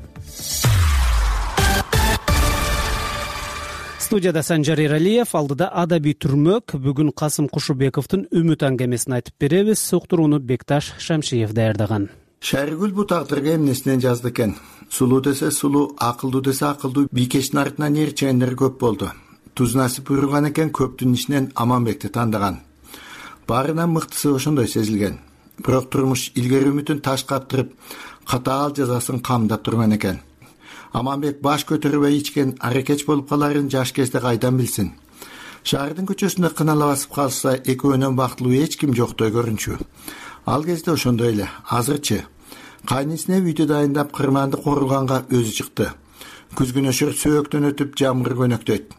Студияда Санжар Эралиев, алдыда адабий түрмөк. Бүгүн Касым Кушубековдун үмүт аңгемесин айтып беребиз. Уктурууну Бекташ Шамшиев даярдаган. Шайргүл бу тагдырга эмнесинен жазды экен. Сулуу десе сулуу, акылдуу десе акылдуу, бийкештин артынан ээрчегендер көп болду. Туз насип буйруган экен, көптүн ичинен Аманбекти тандаган. Баарынан мыктысы ошондой сезилген. Бирок турмуш илгери үмүтүн таш каптырып, катаал жазасын камдап турган экен. Аманбек баш көтөрбөй ичкен аракеч болуп каларын жаш кезде кайдан билсин? Шаардын көчөсүндө кынала басып калса, экөөнөн бактылуу эч ким жоктой көрүнчү. Ал кезде ошондой эле. Азырчы кайнысына үйдө дайындап кырманды корулганга өзү чыкты. Күзгүн өшөр сөөктөн өтүп жамгыр көнөктөйт.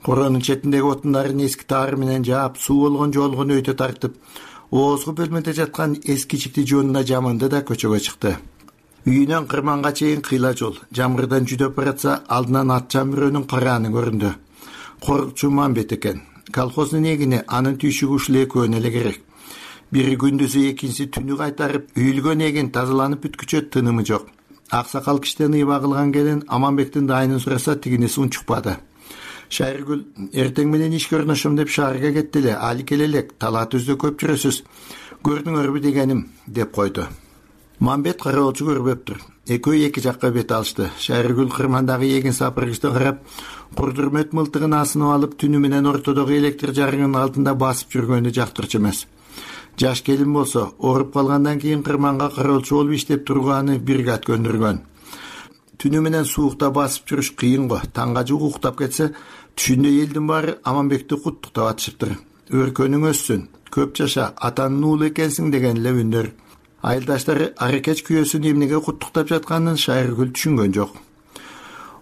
Коронун четиндеги отундарын эски таар менен жаап, суу болгон жолгон өйдө тартып, оозгу бөлмөдө жаткан эски чикти жонуна жаманды да көчөгө чыкты. Үйүнөн кырманга чейин кыйла жол. Жамгырдан жүдөп баратса, алдынан ат жамбирөөнүн карааны көрүндү. Корукчу Мамбет экен. Колхоздун эгини, анын түйшүгү ушул экөөнө эле керек. Бири күндүзү, экинчиси түнү кайтарып, үйүлгөн эгин тазаланып бүткүчө тынымы жок. Аксакал киштен ыйба кылган келин Аманбектин дайынын сураса, тигинеси унчукпады. Шайргүл, эртең менен ишке орношом деп шаарга кетти эле, али келе элек, талаа түздө көп жүрөсүз. Көрдүңөрбү дегеним, деп койду. Мамбет кароолчу көрбөптүр. Экөө эки жакка бет алышты. Шайргүл кырмандагы эгин сапыргычты карап, курдурмөт мылтыгын асынып алып, түнү менен ортодогу электр жарыгынын алдында басып жүргөнү жактырчу эмес. Жаш келин болсо, ооруп калгандан кийин кырманга кароолчу болуп иштеп турганы бригад көндүргөн. Түнү менен суукта басып жүрүш кыйын го. Таңга жук уктап кетсе, түшүндө элдин баары Аманбекти куттуктап атышыптыр. Өркөнүң өссүн, көп жаша, атанын уулу экенсиң деген эле үндөр. Айылдаштары аракеч күйөөсүн эмнеге куттуктап жатканын Шайргүл түшүнгөн жок.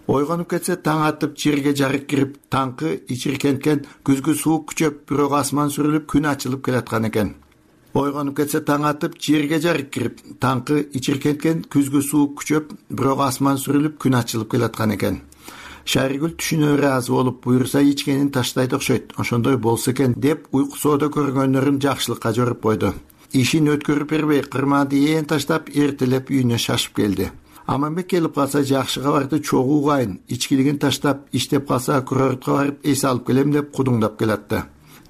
Ойгонуп кетсе, таң атып, жерге жарык кирип, таңкы ичиркенткен, күзгү суук күчөп, бирок асман сүрүлүп, күн ачылып келаткан экен. Ойгонуп кетсе, таң атып, жерге жарык кирип, таңкы ичиркенткен, күзгү суук күчөп, бирок асман сүрүлүп, күн ачылып келаткан экен. Шайргүл түшүнө ыраазы болуп, буйруса ичкенин таштайт окшойт, ошондой болсо экен деп уйкусоодо көргөндөрүн жакшылыкка жоруп койду. Ишин өткөрүп бербей, кырманды ээн таштап, эртелеп үйүнө шашып келди. Аманбек келип калса, жакшы кабарды чогуу угайын, ичкилигин таштап, иштеп калса, курортко барып эс алып келем деп кудуңдап келатты.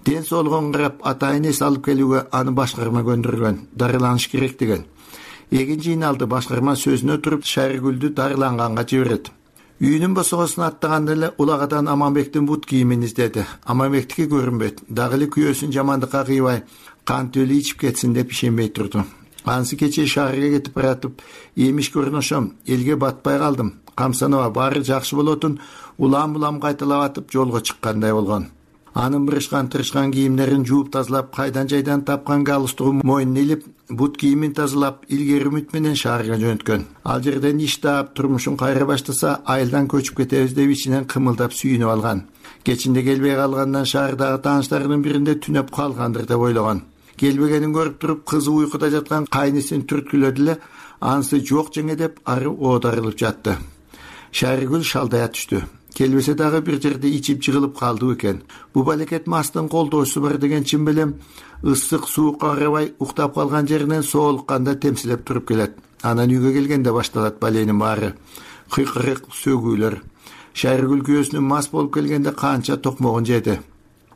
Ден соолугун карап, атайын эс алып келүүгө аны башкарма көндүргөн, дарыланыш керек деген. Эгин жыйналды, башкарма сөзүнө туруп, Шайргүлдү дарыланганга жиберет. Үйүнүн босогосун аттаганда эле улагадан Аманбектин бут кийимин издеди. Аманбектики көрүнбөйт. Дагы эле күйөөсүн жамандыкка кыйбай, кантөлү ичип кетсин деп ишенбей турду. Ансы кечээ шаарга кетип баратып, эмиш көрүнөшөм, элге батпай калдым. Камсанова баары жакшы болотун, улам-улам кайталап атып жолго чыккандай болгон. Анын бырышкан тырышкан кийимдерин жууп тазалап, кайдан жайдан тапкан галстугун мойнуна илип, бут кийимин тазалап, илгери үмүт менен шаарга жөнөткөн. Ал жерден иш таап, турмушун кайра баштаса, айылдан көчүп кетебиз деп ичинен кымылдап сүйүнүп алган. Кечинде келбей калгандан шаардагы тааныштарынын биринде түнөп калгандыр деп ойлогон. Келбегенин көрүп туруп, кызы уйкуда жаткан кайнысын түрткүлөдү эле, анысы жок жеңе деп ары оодарылып жатты. Шайргүл шалдая түштү. Келбесе дагы бир жерде ичип жыгылып калды экен. Бу балекет мастын колдоочусу бар деген чын белем, ысык суукка карабай уктап калган жеринен соолукканда темсилеп туруп келет. Анан үйгө келгенде башталат баленин баары. Кыйкырык, сөгүүлөр. Шайыргүл күйөөсүнүн мас болуп келгенде канча токмогун жеди.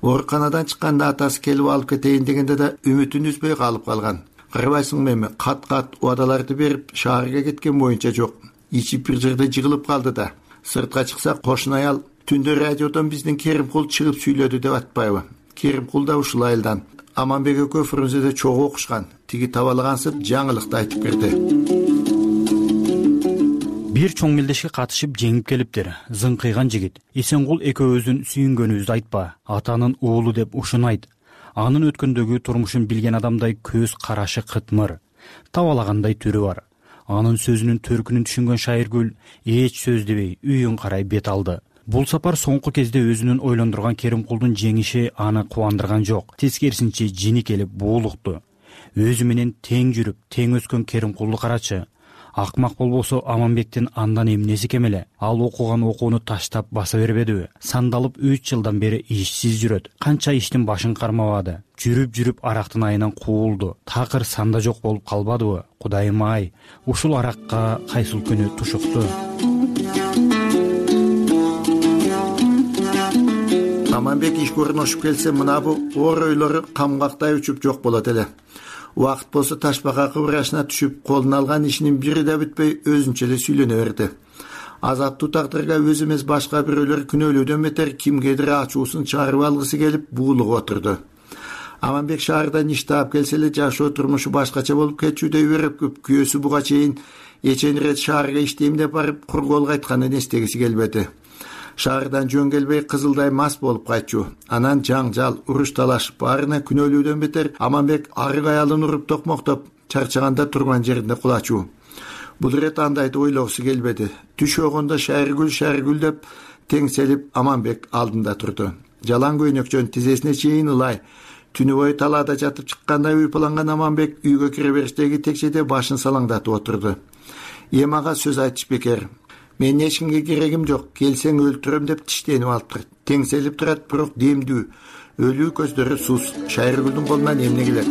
Ооруканадан чыкканда атасы келип алып кетейин дегенде да үмүтүн үзбөй калып калган. Карабайсыңбы эми, кат-кат убадаларды берип шаарга кеткен боюнча жок. Ичип бир жерде жыгылып калды да. Сыртка чыкса кошун аял түндө радиодон биздин Керимкул чыгып сүйлөдү деп атпайбы? Керимкул да ушул айылдан. Аманбек экөө Фрунзеде чогуу окушкан. Тиги табалагансып жаңылыкты айтып берди. Бир чоң мелдешке катышып жеңип келиптир. Зыңкыйган жигит. Эсенгул экөөбүздүн сүйүнгөнүбүздү айтпа. Атанын уулу деп ушуну айт. Анын өткөндөгү турмушун билген адамдай көз карашы кытмыр. Табалагандай түрү бар. Анын сөзүнүн төркүнүн түшүнгөн Шайыргүл эч сөз дебей үйүн карай бет алды. Бул сапар соңку кезде өзүнүн ойлондурган Керимкулдун жеңиши аны кубандырган жок. Тескерисинче жини келип буулукту. Өзү менен тең жүрүп, тең өскөн Керимкулду карачы. Акмак болбосо Аманбектин андан эмнеси кем эле? Ал окуган окууну таштап баса бербедиби? Сандалып үч жылдан бери ишсиз жүрөт. Канча иштин башын кармабады. Жүрүп-жүрүп арактын айынан куулду. Такыр санда жок болуп калбадыбы? Кудайым ай, ушул аракка кайсыл күнү тушукту. Аманбек ишке орношуп келсе, мына бу оор ойлору камгактай учуп жок болот эле. Убакыт болсо ташбака кыбырашына түшүп, колуна алган ишинин бири да бүтпөй өзүнчө эле сүйлөнө берди. Азаптуу тагдырга өзү эмес башка бирөөлөр күнөөлөөдөн бетер кимгедир ачуусун чыгарып алгысы келип буулугуп отурду. Аманбек шаардан иш таап келсе эле жашоо турмушу башкача болуп кетчүдөй өрөпкүп, күйөөсү буга чейин эчен ирет шаарга иштейм деп барып кур кол кайтканын эстегиси келбеди. Шаардан жөн келбей кызылдай мас болуп кайтчу. Анан жаңжал, уруш талаш баарына күнөөлүүдөн бетер Аманбек арык аялын уруп токмоктоп, чарчаганда турган жеринде кулачу. Бул ирет андайды ойлогусу келбеди. Түш огондо Шайыргүл, Шайыргүл деп теңселип Аманбек алдында турду. Жалаң көйнөкчөн тизесине чейин ылай. Түнү бою талаада жатып чыккандай уйпаланган Аманбек үйгө кире бериштеги текчеде башын салаңдатып отурду. Эми ага сөз айтыш бекер. Мен эч кимге керегим жок, келсең өлтүрөм деп тиштенип алыптыр. Теңселип турат, бирок демдүү. Өлүү көздөрү сус. Шайыргүлдүн колунан эмне келет?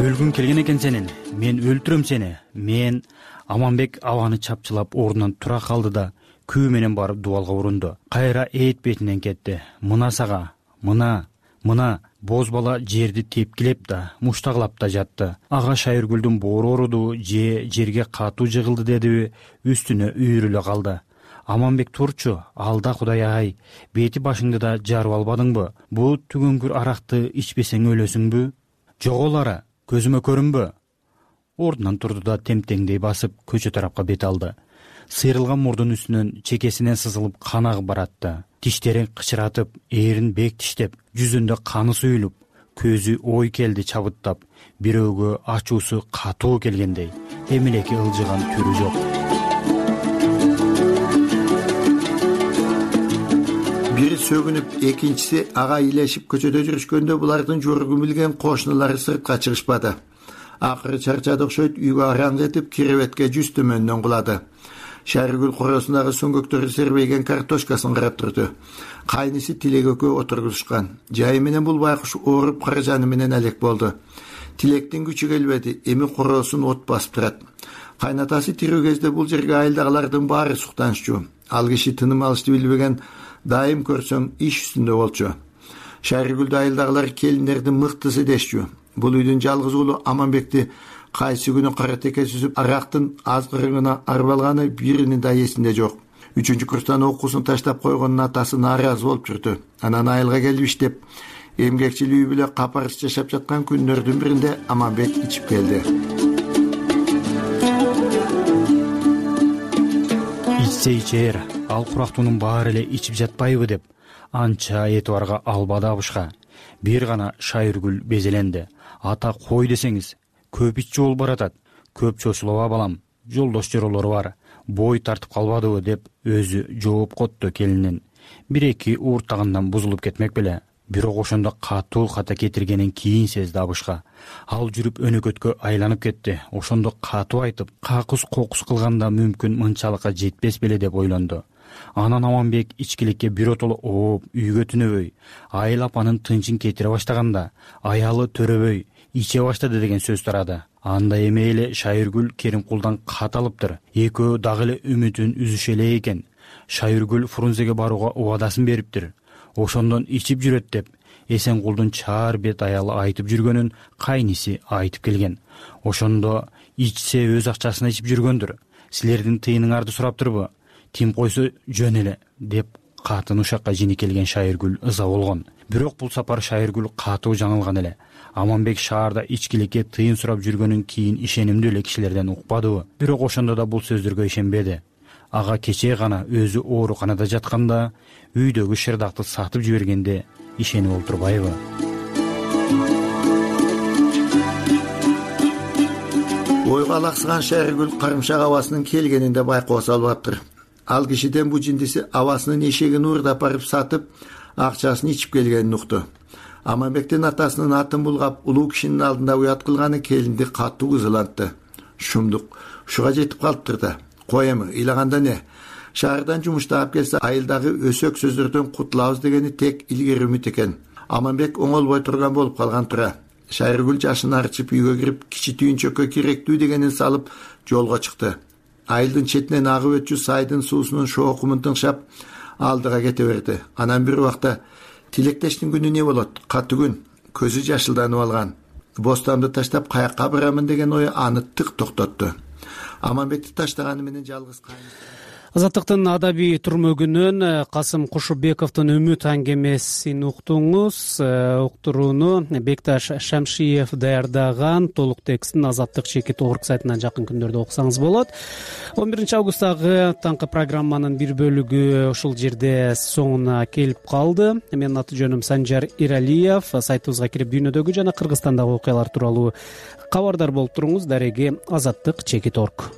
Өлгүң келген экен сенин. Мен өлтүрөм сени. Мен Аманбек абаны чапчылап ордунан тура калды да күү менен барып дубалга урунду. Кайра эт бетинен кетти. Мына сага, мына, мына боз бала жерди тепкилеп да, муштаглап да жатты. Ага Шайыргүлдүн боору ооруду же жерге катуу жыгылды дедиби, үстүнө үйрүлө калды. Аманбек турчу, алда Кудай ай, бети башыңды да жарып албадыңбы? Бу түгөнгүр аракты ичпесең өлөсүңбү? Жоголары, көзүмө көрүнбө? Ордунан турду да темтеңдей басып көчө тарапка бет алды. Сыйрылган мурдун үстүнөн чекесинен сызылып кан агып баратты. Тиштерин кычыратып, эрин бек тиштеп, жүзүндө каны суюлуп, көзү ой келди чабыттап, бирөөгө ачуусу катуу келгендей, эмелеки ылжыган түрү жок. Бири сөгүнүп, экинчиси ага илешип көчөдө жүрүшкөндө булардын жоругун билген кошуналары сыртка чыгышпады. Акыры чарчады окшойт, үйгө араң этип, киребетке жүз төмөндөн кулады. Шайыргүл коросундагы сөңгөктөрү сербейген картошкасын карап турду. Кайниси Тилек экөө отургузушкан. Жайы менен бул байкуш ооруп каражаны менен алек болду. Тилектин күчү келбеди, эми коросун от басып турат. Кайнатасы тирүү кезде бул жерге айылдагылардын баары суктанышчу. Ал киши тыным алышты билбеген, дайым көрсөң иш үстүндө болчу. Шайыргүлдү айылдагылар келиндердин мыктысы дешчү. Бул үйдүн жалгыз уулу Аманбекти кайсы күнү кара теке сүзүп арактын азгырыгына арып алганы биринин да эсинде жок. Үчүнчү курстан окуусун таштап койгонун атасы нааразы болуп жүрдү. Анан айылга келип иштеп, эмгекчил үй бүлө капарыс жашап жаткан күндөрдүн биринде Аманбек ичип келди. Ичсе ичер, ал курактуунун баары эле ичип жатпайбы деп анча этибарга албады абышка. Бир гана Шайыргүл безеленди. Ата кой десеңиз, көп иччи болуп баратат. Көп чочулоба балам, жолдош жоролору бар. Бой тартып калбадыбы деп өзү жооп котту келинин. Бир-эки ууртагандан бузулуп кетмек беле. Бирок ошондо катуу ката кетиргенин кийин сезди абышка. Ал жүрүп өнөкөткө айланып кетти. Ошондо катуу айтып, какус кокус кылганда мүмкүн мынчалыкка жетпес беле деп ойлонду. Анан Аманбек ичкиликке биротоло ооп, үйгө түнөбөй, айыл апанын тынчын кетире баштаганда, аялы төрөбөй, иче баштады деген сөз тарады. Анда эми эле Шайыргүл Керимкулдан кат алыптыр. Экөө дагы эле үмүтүн үзүшө эле экен. Шайыргүл Фрунзеге барууга убадасын бериптир. Ошондон ичип жүрөт деп Эсенкулдун чаар бет аялы айтып жүргөнүн кайниси айтып келген. Ошондо ичсе өз акчасына ичип жүргөндүр. Силердин тыйыныңарды сураптырбы? Тим койсо жөн эле деп катын ушакка жини келген Шайыргүл ыза болгон. Бирок бул сапар Шайыргүл катуу жаңылган эле. Аманбек шаарда ичкиликке тыйын сурап жүргөнүн кийин ишенимдүү эле кишилерден укпадыбы? Бирок ошондо да бул сөздөргө ишенбеди. Ага кечээ гана өзү ооруканада жатканда үйдөгү шырдакты сатып жибергенде ишенип олтурбайбы? Ойго алаксыган Шайыргүл карымшак абасынын келгенин да байкоо салбаптыр. Ал кишиден бу жиндиси абасынын эшегин уурдап барып сатып, акчасын ичип келгенин укту. Аманбектин атасынын атын булгап, улуу кишинин алдында уят кылганы келинди катуу кызылантты. Шумдук ушуга жетип калыптыр да. Кой эми, ыйлаганда не? Шаардан жумуштап келсе, айылдагы өсөк сөздөрдөн кутулабыз дегени тек илгери үмүт экен. Аманбек оңолбой турган болуп калган тура. Шайыргүл жашын арчып үйгө кирип, кичи түйүнчөккө керектүү дегенин салып жолго чыкты. Айылдын четинен агып өтчү сайдын суусунун шоокумун тыңшап алдыга кете берди. Анан бир убакта тилектештин күнү не болот? Катуу күн. Көзү жашылданып алган. Бостамды таштап каякка барамын деген ою аны тык токтотту. Аманбекти таштаганы менен жалгыз кайын. Азаттыктын адабий түрмөгүнөн Касым Кушубековдун Үмүт аңгемесин уктуңуз. Уктурууну Бекташ Шамшиев даярдаган. Толук текстин Азаттык чекит орг сайтынан жакын күндөрдө окусаңыз болот. он биринчи августтагы таңкы программанын бир бөлүгү ушул жерде соңуна келип калды. Менин аты жөнүм Санжар Иралиев. Сайтыбызга кирип дүйнөдөгү жана Кыргызстандагы окуялар тууралуу кабардар болуп туруңуз. Дареги Азаттык чекит орг.